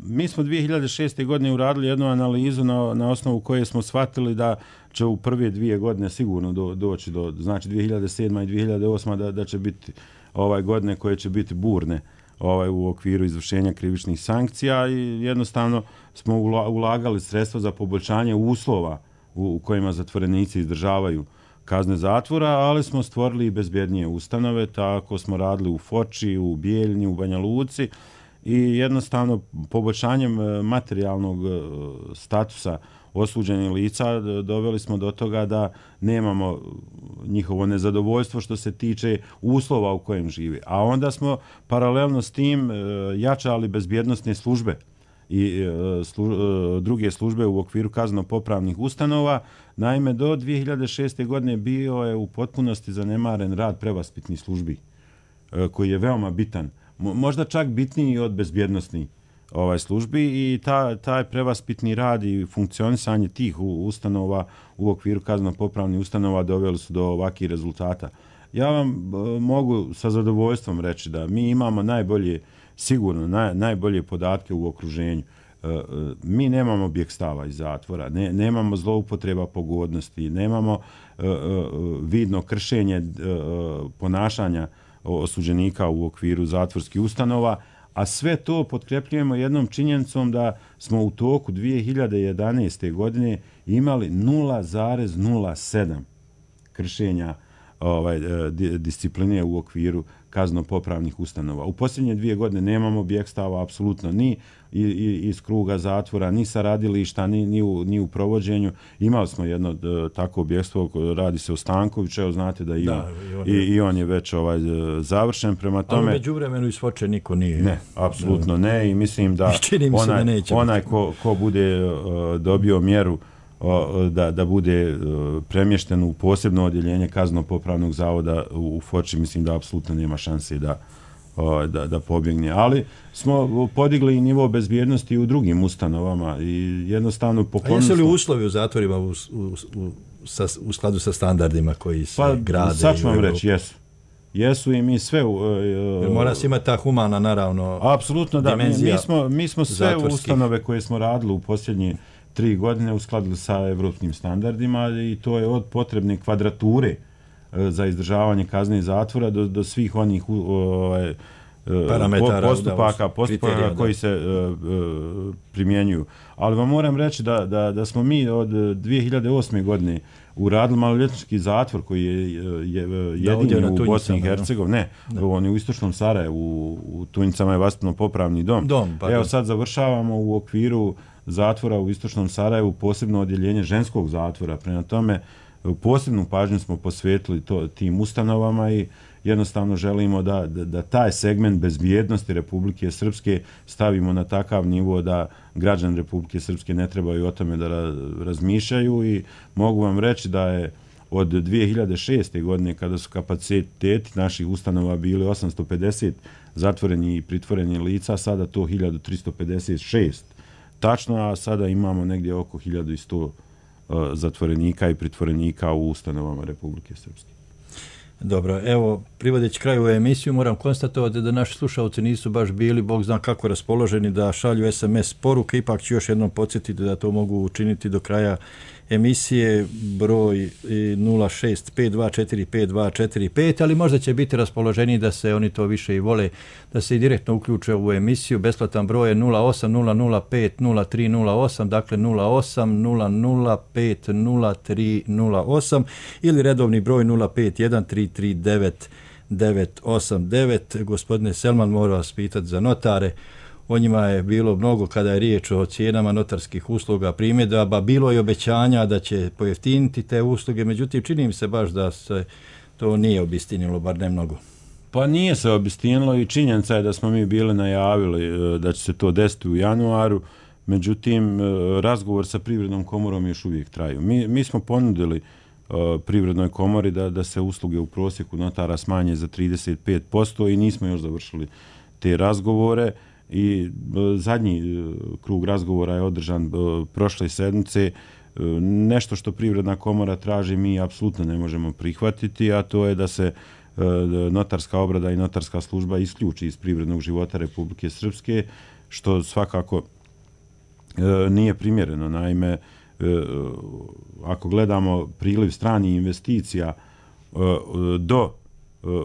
mi smo 2006. godine uradili jednu analizu na osnovu koje smo shvatili da će u prve 2 godine sigurno doći do, znači 2007. i 2008. da će biti godine koje će biti burne u okviru izvršenja krivičnih sankcija i jednostavno smo ulagali sredstva za poboljšanje uslova u kojima zatvorenici izdržavaju kazne zatvora, ali smo stvorili i bezbjednije ustanove, tako smo radili u Foči, u Bijeljni, u Banja Luci i jednostavno poboljšanjem materijalnog statusa osuđenih lica doveli smo do toga da nemamo njihovo nezadovoljstvo što se tiče uslova u kojem žive. A onda smo paralelno s tim jačali bezbjednosne službe i druge službe u okviru kazneno-popravnih ustanova. Naime, do 2006. godine bio je u potpunosti zanemaren rad prevaspitnih službi, koji je veoma bitan. Možda čak bitniji od bezbjednosnih službi i taj prevaspitni rad i funkcionisanje tih ustanova u okviru kazneno-popravnih ustanova doveli su do ovakvih rezultata. Ja vam mogu sa zadovoljstvom reći da mi imamo sigurno najbolje podatke u okruženju. Mi nemamo bijeg stava iz zatvora, nemamo zloupotreba pogodnosti, nemamo vidno kršenje ponašanja osuđenika u okviru zatvorskih ustanova, a sve to potkrepljujemo jednom činjenicom da smo u toku 2011. godine imali 0,07 kršenja discipline u okviru kazneno-popravnih ustanova. U posljednje 2 godine nemamo bijeg stava apsolutno ni iz kruga zatvora, ni sa radilišta, ni u provođenju. Imali smo jedno takvo bjegstvo, radi se o Stankoviću, evo znate da i on je već završen. Prema tome, ali među vremenu isfoče niko nije. Ne, apsolutno ne i mislim da onaj ko bude dobio mjeru da bude premješten u posebno odjeljenje kazneno-popravnog zavoda u Foči, mislim da apsolutno nema šanse da pobjegne. Ali smo podigli nivo bezbjednosti u drugim ustanovama i jednostavno poklonili smo... A jesu li uslovi u zatvorima u skladu sa standardima koji se grade? Sad ću vam reći, jesu. Jesu i mi sve... Mora se imati ta humana, naravno, apsolutno da. Mi smo sve zatvorskih ustanove koje smo radili u posljednje 3 godine uskladili sa evropskim standardima i to je od potrebne kvadrature za izdržavanje kazne i zatvora do svih onih postupaka koji se primjenjuju. Ali vam moram reći da smo mi od 2008. godine uradili maloljetnički zatvor koji je jedini u Bosni i Hercegovini. Ne, on je u istočnom Sarajevu, u Tunjicama je vaspitno-popravni dom. Evo sad završavamo u okviru zatvora u istočnom Sarajevu posebno odjeljenje ženskog zatvora. Prema tome, posebnu pažnju smo posvetili tim ustanovama i jednostavno želimo da taj segment bezbjednosti Republike Srpske stavimo na takav nivo da građani Republike Srpske ne trebaju o tome da razmišljaju i mogu vam reći da je od 2006. godine kada su kapaciteti naših ustanova bili 850 zatvoreni i pritvoreni lica, sada to 1356. Tačno, a sada imamo negdje oko 1100 zatvorenika i pritvorenika u ustanovama Republike Srpske. Dobro, evo, privodeći kraju emisiju, moram konstatovati da naši slušalci nisu baš bili, Bog zna kako raspoloženi da šalju SMS poruke, ipak ću još jednom podsjetiti da to mogu učiniti do kraja emisije, broj 0652452245, ali možda će biti raspoloženiji da se oni to više i vole, da se i direktno uključe u emisiju. Besplatan broj je 080050308, dakle 080050308 ili redovni broj 0513399989. Gospodine Selman, moram vas pitati za notare. O njima je bilo mnogo kada je riječ o cijenama notarskih usluga, primjedaba, bilo je obećanja da će pojeftiniti te usluge, međutim čini mi se baš da se to nije obistinilo, bar ne mnogo. Pa nije se obistinilo i činjenica je da smo mi bili najavili da će se to desiti u januaru, međutim razgovor sa Privrednom komorom još uvijek traju. Mi smo ponudili Privrednoj komori da se usluge u prosjeku notara smanje za 35% i nismo još završili te razgovore. I zadnji krug razgovora je održan prošle sedmice. Nešto što Privredna komora traži mi apsolutno ne možemo prihvatiti, a to je da se notarska obrada i notarska služba isključi iz privrednog života Republike Srpske, što svakako nije primjereno. Naime, ako gledamo priliv stranih investicija do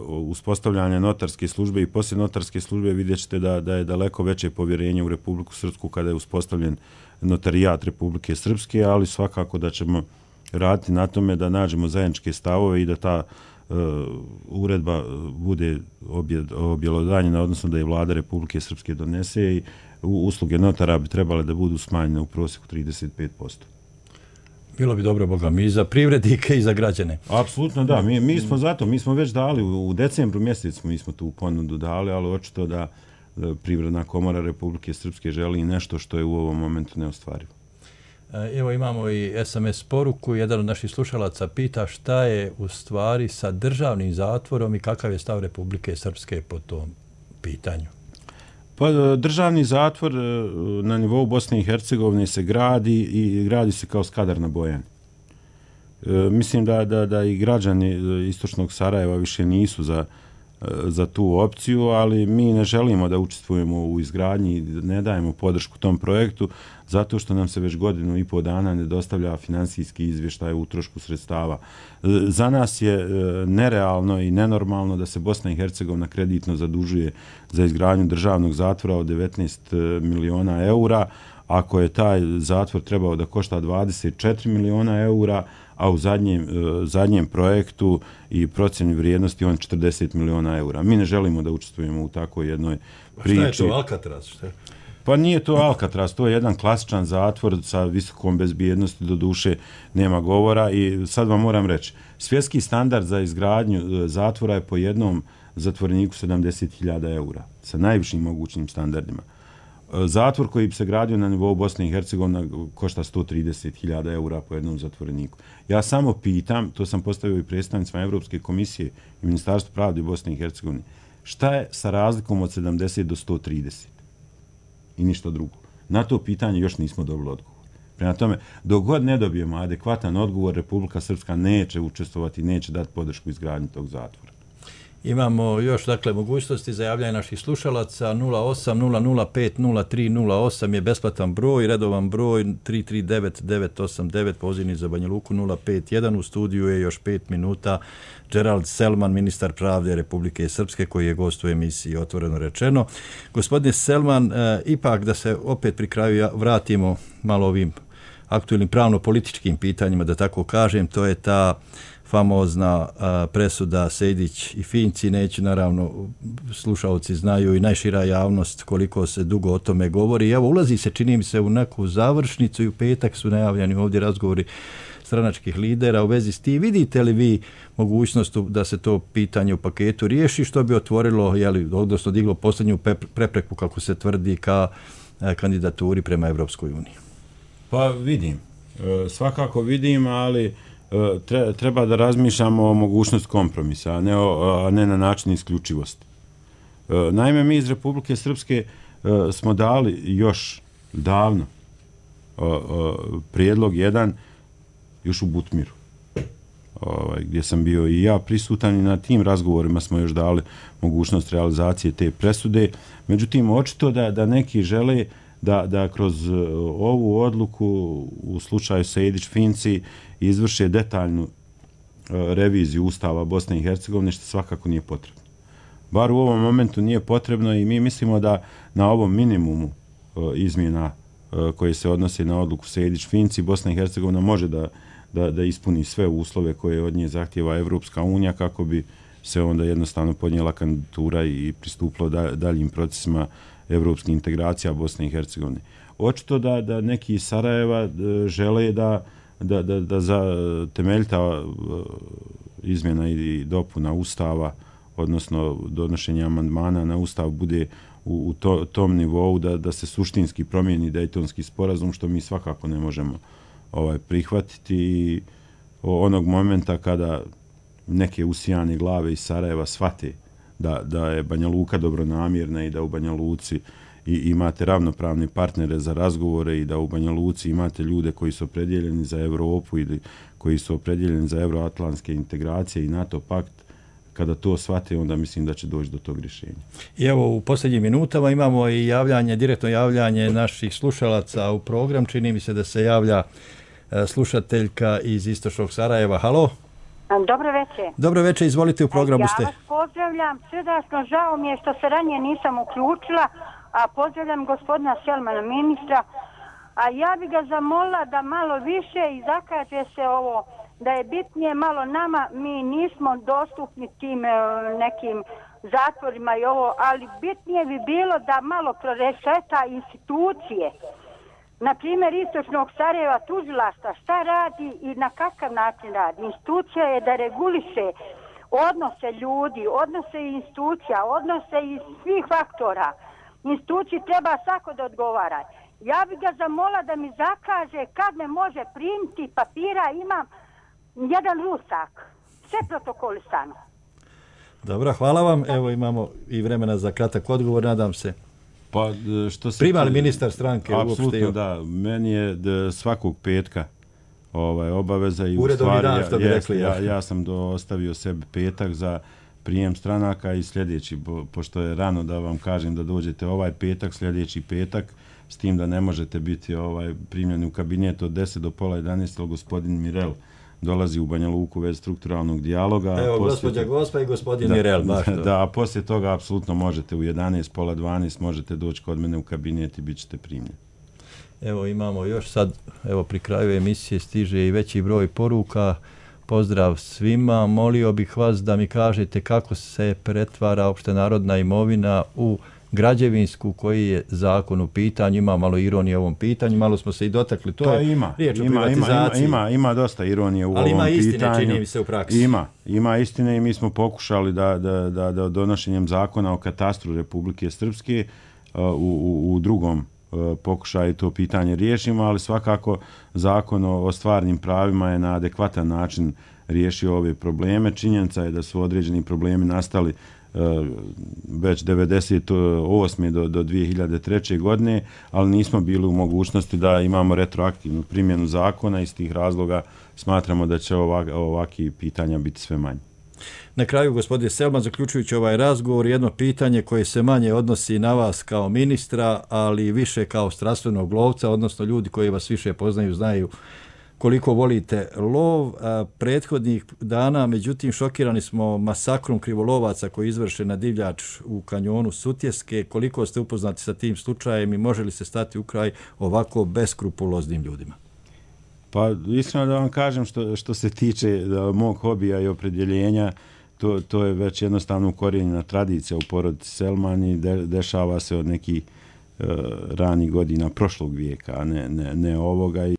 uspostavljanja notarske službe i poslije notarske službe, vidjet ćete da je daleko veće povjerenje u Republiku Srpsku kada je uspostavljen notarijat Republike Srpske, ali svakako da ćemo raditi na tome da nađemo zajedničke stavove i da ta uredba bude objelodanjena, odnosno da je vlada Republike Srpske donese i usluge notara bi trebale da budu smanjene u prosjeku 35%. Bilo bi dobro, Boga mi, i za privrednike i za građane. Apsolutno da, mi smo zato, mi smo već dali, u decembru mjesecu mi smo tu ponudu dali, ali očito da Privredna komora Republike Srpske želi nešto što je u ovom momentu neostvarivo. Evo imamo i SMS poruku, jedan od naših slušalaca pita šta je u stvari sa državnim zatvorom i kakav je stav Republike Srpske po tom pitanju. Pa državni zatvor na nivou Bosne i Hercegovine se gradi i gradi se kao Skadar na Bojani. Mislim da i građani istočnog Sarajeva više nisu za tu opciju, ali mi ne želimo da učestvujemo u izgradnji, ne dajemo podršku tom projektu, zato što nam se već 1,5 dana ne dostavlja finansijski izvještaj o utrošku sredstava. Za nas je nerealno i nenormalno da se Bosna i Hercegovina kreditno zadužuje za izgradnju državnog zatvora od 19 miliona eura, ako je taj zatvor trebao da košta 24 miliona eura, a u zadnjem projektu i procjeni vrijednosti on 40 miliona eura. Mi ne želimo da učestvujemo u takvoj jednoj priči. Šta je to, Alcatraz? Šta? Pa nije to Alcatraz, to je jedan klasičan zatvor sa visokom bezbjednosti, do duše nema govora i sad vam moram reći, svjetski standard za izgradnju zatvora je po jednom zatvoreniku 70.000 eura, sa najvišim mogućim standardima. Zatvor koji bi se gradio na nivou Bosne i Hercegovine košta 130.000 eura po jednom zatvoreniku. Ja samo pitam, to sam postavio i predstavnicima Evropske komisije i Ministarstva pravde Bosne i Hercegovine, šta je sa razlikom od 70 do 130? I ništa drugo. Na to pitanje još nismo dobili odgovor. Prema tome, dok god ne dobijemo adekvatan odgovor, Republika Srpska neće učestvovati, neće dati podršku izgradnji tog zatvora. Imamo još, dakle, mogućnosti za javljanje naših slušalaca. 08-005-0308 je besplatan broj, redovan broj 339-989, pozivni za Banja Luku 051. U studiju je još 5 minuta Gerald Selman, ministar pravde Republike Srpske, koji je gost u emisiji Otvoreno rečeno. Gospodine Selman, ipak da se opet pri kraju vratimo malo ovim aktualnim pravno-političkim pitanjima, da tako kažem, to je ta famozna presuda Sejdić i Finci. Neću, naravno, slušalci znaju i najšira javnost koliko se dugo o tome govori. Evo, ulazi se, čini mi se, u neku završnicu i u petak su najavljeni ovdje razgovori stranačkih lidera u vezi s tim. Vidite li vi mogućnost da se to pitanje u paketu riješi, što bi otvorilo, odnosno diglo posljednju prepreku, kako se tvrdi, ka kandidaturi prema Evropskoj uniji? Pa vidim. Svakako vidim, ali treba da razmišljamo o mogućnost kompromisa, a ne na način isključivosti. Naime, mi iz Republike Srpske smo dali još davno prijedlog jedan još u Butmiru, gdje sam bio i ja prisutan, i na tim razgovorima smo još dali mogućnost realizacije te presude. Međutim, očito da neki žele da kroz ovu odluku u slučaju Sejdić-Finci izvrše detaljnu reviziju Ustava Bosne i Hercegovine, što svakako nije potrebno. Bar u ovom momentu nije potrebno i mi mislimo da na ovom minimumu izmjena koje se odnose na odluku Sejdić-Finci, Bosna i Hercegovina može da ispuni sve uslove koje od nje zahtjeva Evropska unija, kako bi se onda jednostavno podnijela kandidatura i pristupilo daljim procesima evropskih integracija Bosne i Hercegovine. Očito da neki iz Sarajeva žele da za temeljita izmjena i dopuna Ustava, odnosno donošenje amandmana na Ustav, bude u tom nivou da se suštinski promijeni Dejtonski sporazum, što mi svakako ne možemo prihvatiti. I onog momenta kada neke usijane glave iz Sarajeva shvate da je Banja Luka dobronamjerna i da u Banja Luci imate ravnopravne partnere za razgovore i da u Banja Luci imate ljude koji su opredjeljeni za Evropu ili koji su opredjeljeni za euroatlantske integracije i NATO pakt, kada to shvate, onda mislim da će doći do tog rješenja. I evo, u posljednjim minutama imamo i direktno javljanje naših slušalaca u program. Čini mi se da se javlja slušateljka iz istočnog Sarajeva. Halo? Dobro večer. Dobro večer, izvolite, u programu ste. Ja vas pozdravljam, srdačno, žao mi je što se ranije nisam uključila, a pozdravljam gospodina Selmana, ministra, a ja bi ga zamolila da malo više izakaže se ovo da je bitnije malo nama, mi nismo dostupni tim nekim zatvorima i ovo, ali bitnije bi bilo da malo proreseta institucije. Na primjer, Istočnog Sarajeva tužilaštva, šta radi i na kakav način radi. Institucija je da reguliše odnose ljudi, odnose institucija, odnose i svih faktora. Instituciji treba svako da odgovara. Ja bih ga zamola da mi zakaže kad me može primiti papira, imam jedan rusak. Sve protokolisano. Dobro, hvala vam. Evo imamo i vremena za kratak odgovor, nadam se. Pa, što se prima li ministar stranke uopšte? Apsolutno da. Meni je svakog petka obaveza i uredovni u stvari dan, što bi rekli. Ja sam ostavio sebi petak za prijem stranaka i sljedeći, pošto je rano da vam kažem da dođete ovaj petak, sljedeći petak, s tim da ne možete biti primljeni u kabinet od 10 do pola 11, gospodin Mirel dolazi u Banja Luku već strukturalnog dijaloga. Evo, gospođa Gospa i gospodin Mirel. Da, a poslije toga apsolutno možete u 11, pola 12, možete doći kod mene u kabinet i bit ćete primljeni. Evo imamo još sad, evo pri kraju emisije stiže i veći broj poruka. Pozdrav svima, molio bih vas da mi kažete kako se pretvara opštenarodna imovina u građevinsku, koji je zakon u pitanju. Ima malo ironije u ovom pitanju, malo smo se i dotakli. To je riječ o privatizaciji. Ima dosta ironije u ovom pitanju. Ali ima istine, čini mi se, u praksi. Ima istine i mi smo pokušali da donošenjem zakona o katastru Republike Srpske u drugom pokušaju to pitanje riješimo, ali svakako zakon o stvarnim pravima je na adekvatan način riješio ove probleme. Činjenica je da su određeni problemi nastali već 1998. do 2003. godine, ali nismo bili u mogućnosti da imamo retroaktivnu primjenu zakona. Iz tih razloga smatramo da će ovakvi pitanja biti sve manje. Na kraju, gospodine Selman, zaključujući ovaj razgovor, jedno pitanje koje se manje odnosi na vas kao ministra, ali više kao strastvenog lovca, odnosno ljudi koji vas više poznaju, znaju koliko volite lov. Prethodnih dana, međutim, šokirani smo masakrom krivolovaca koji je izvršen na divljač u kanjonu Sutjeske. Koliko ste upoznati sa tim slučajem i može li se stati u kraj ovako beskrupuloznim ljudima? Pa iskreno da vam kažem, što se tiče mog hobija i opredjeljenja, to je već jednostavno ukorijenjena tradicija u porodici Selman i dešava se od nekih ranih godina prošlog vijeka, a ne ovoga.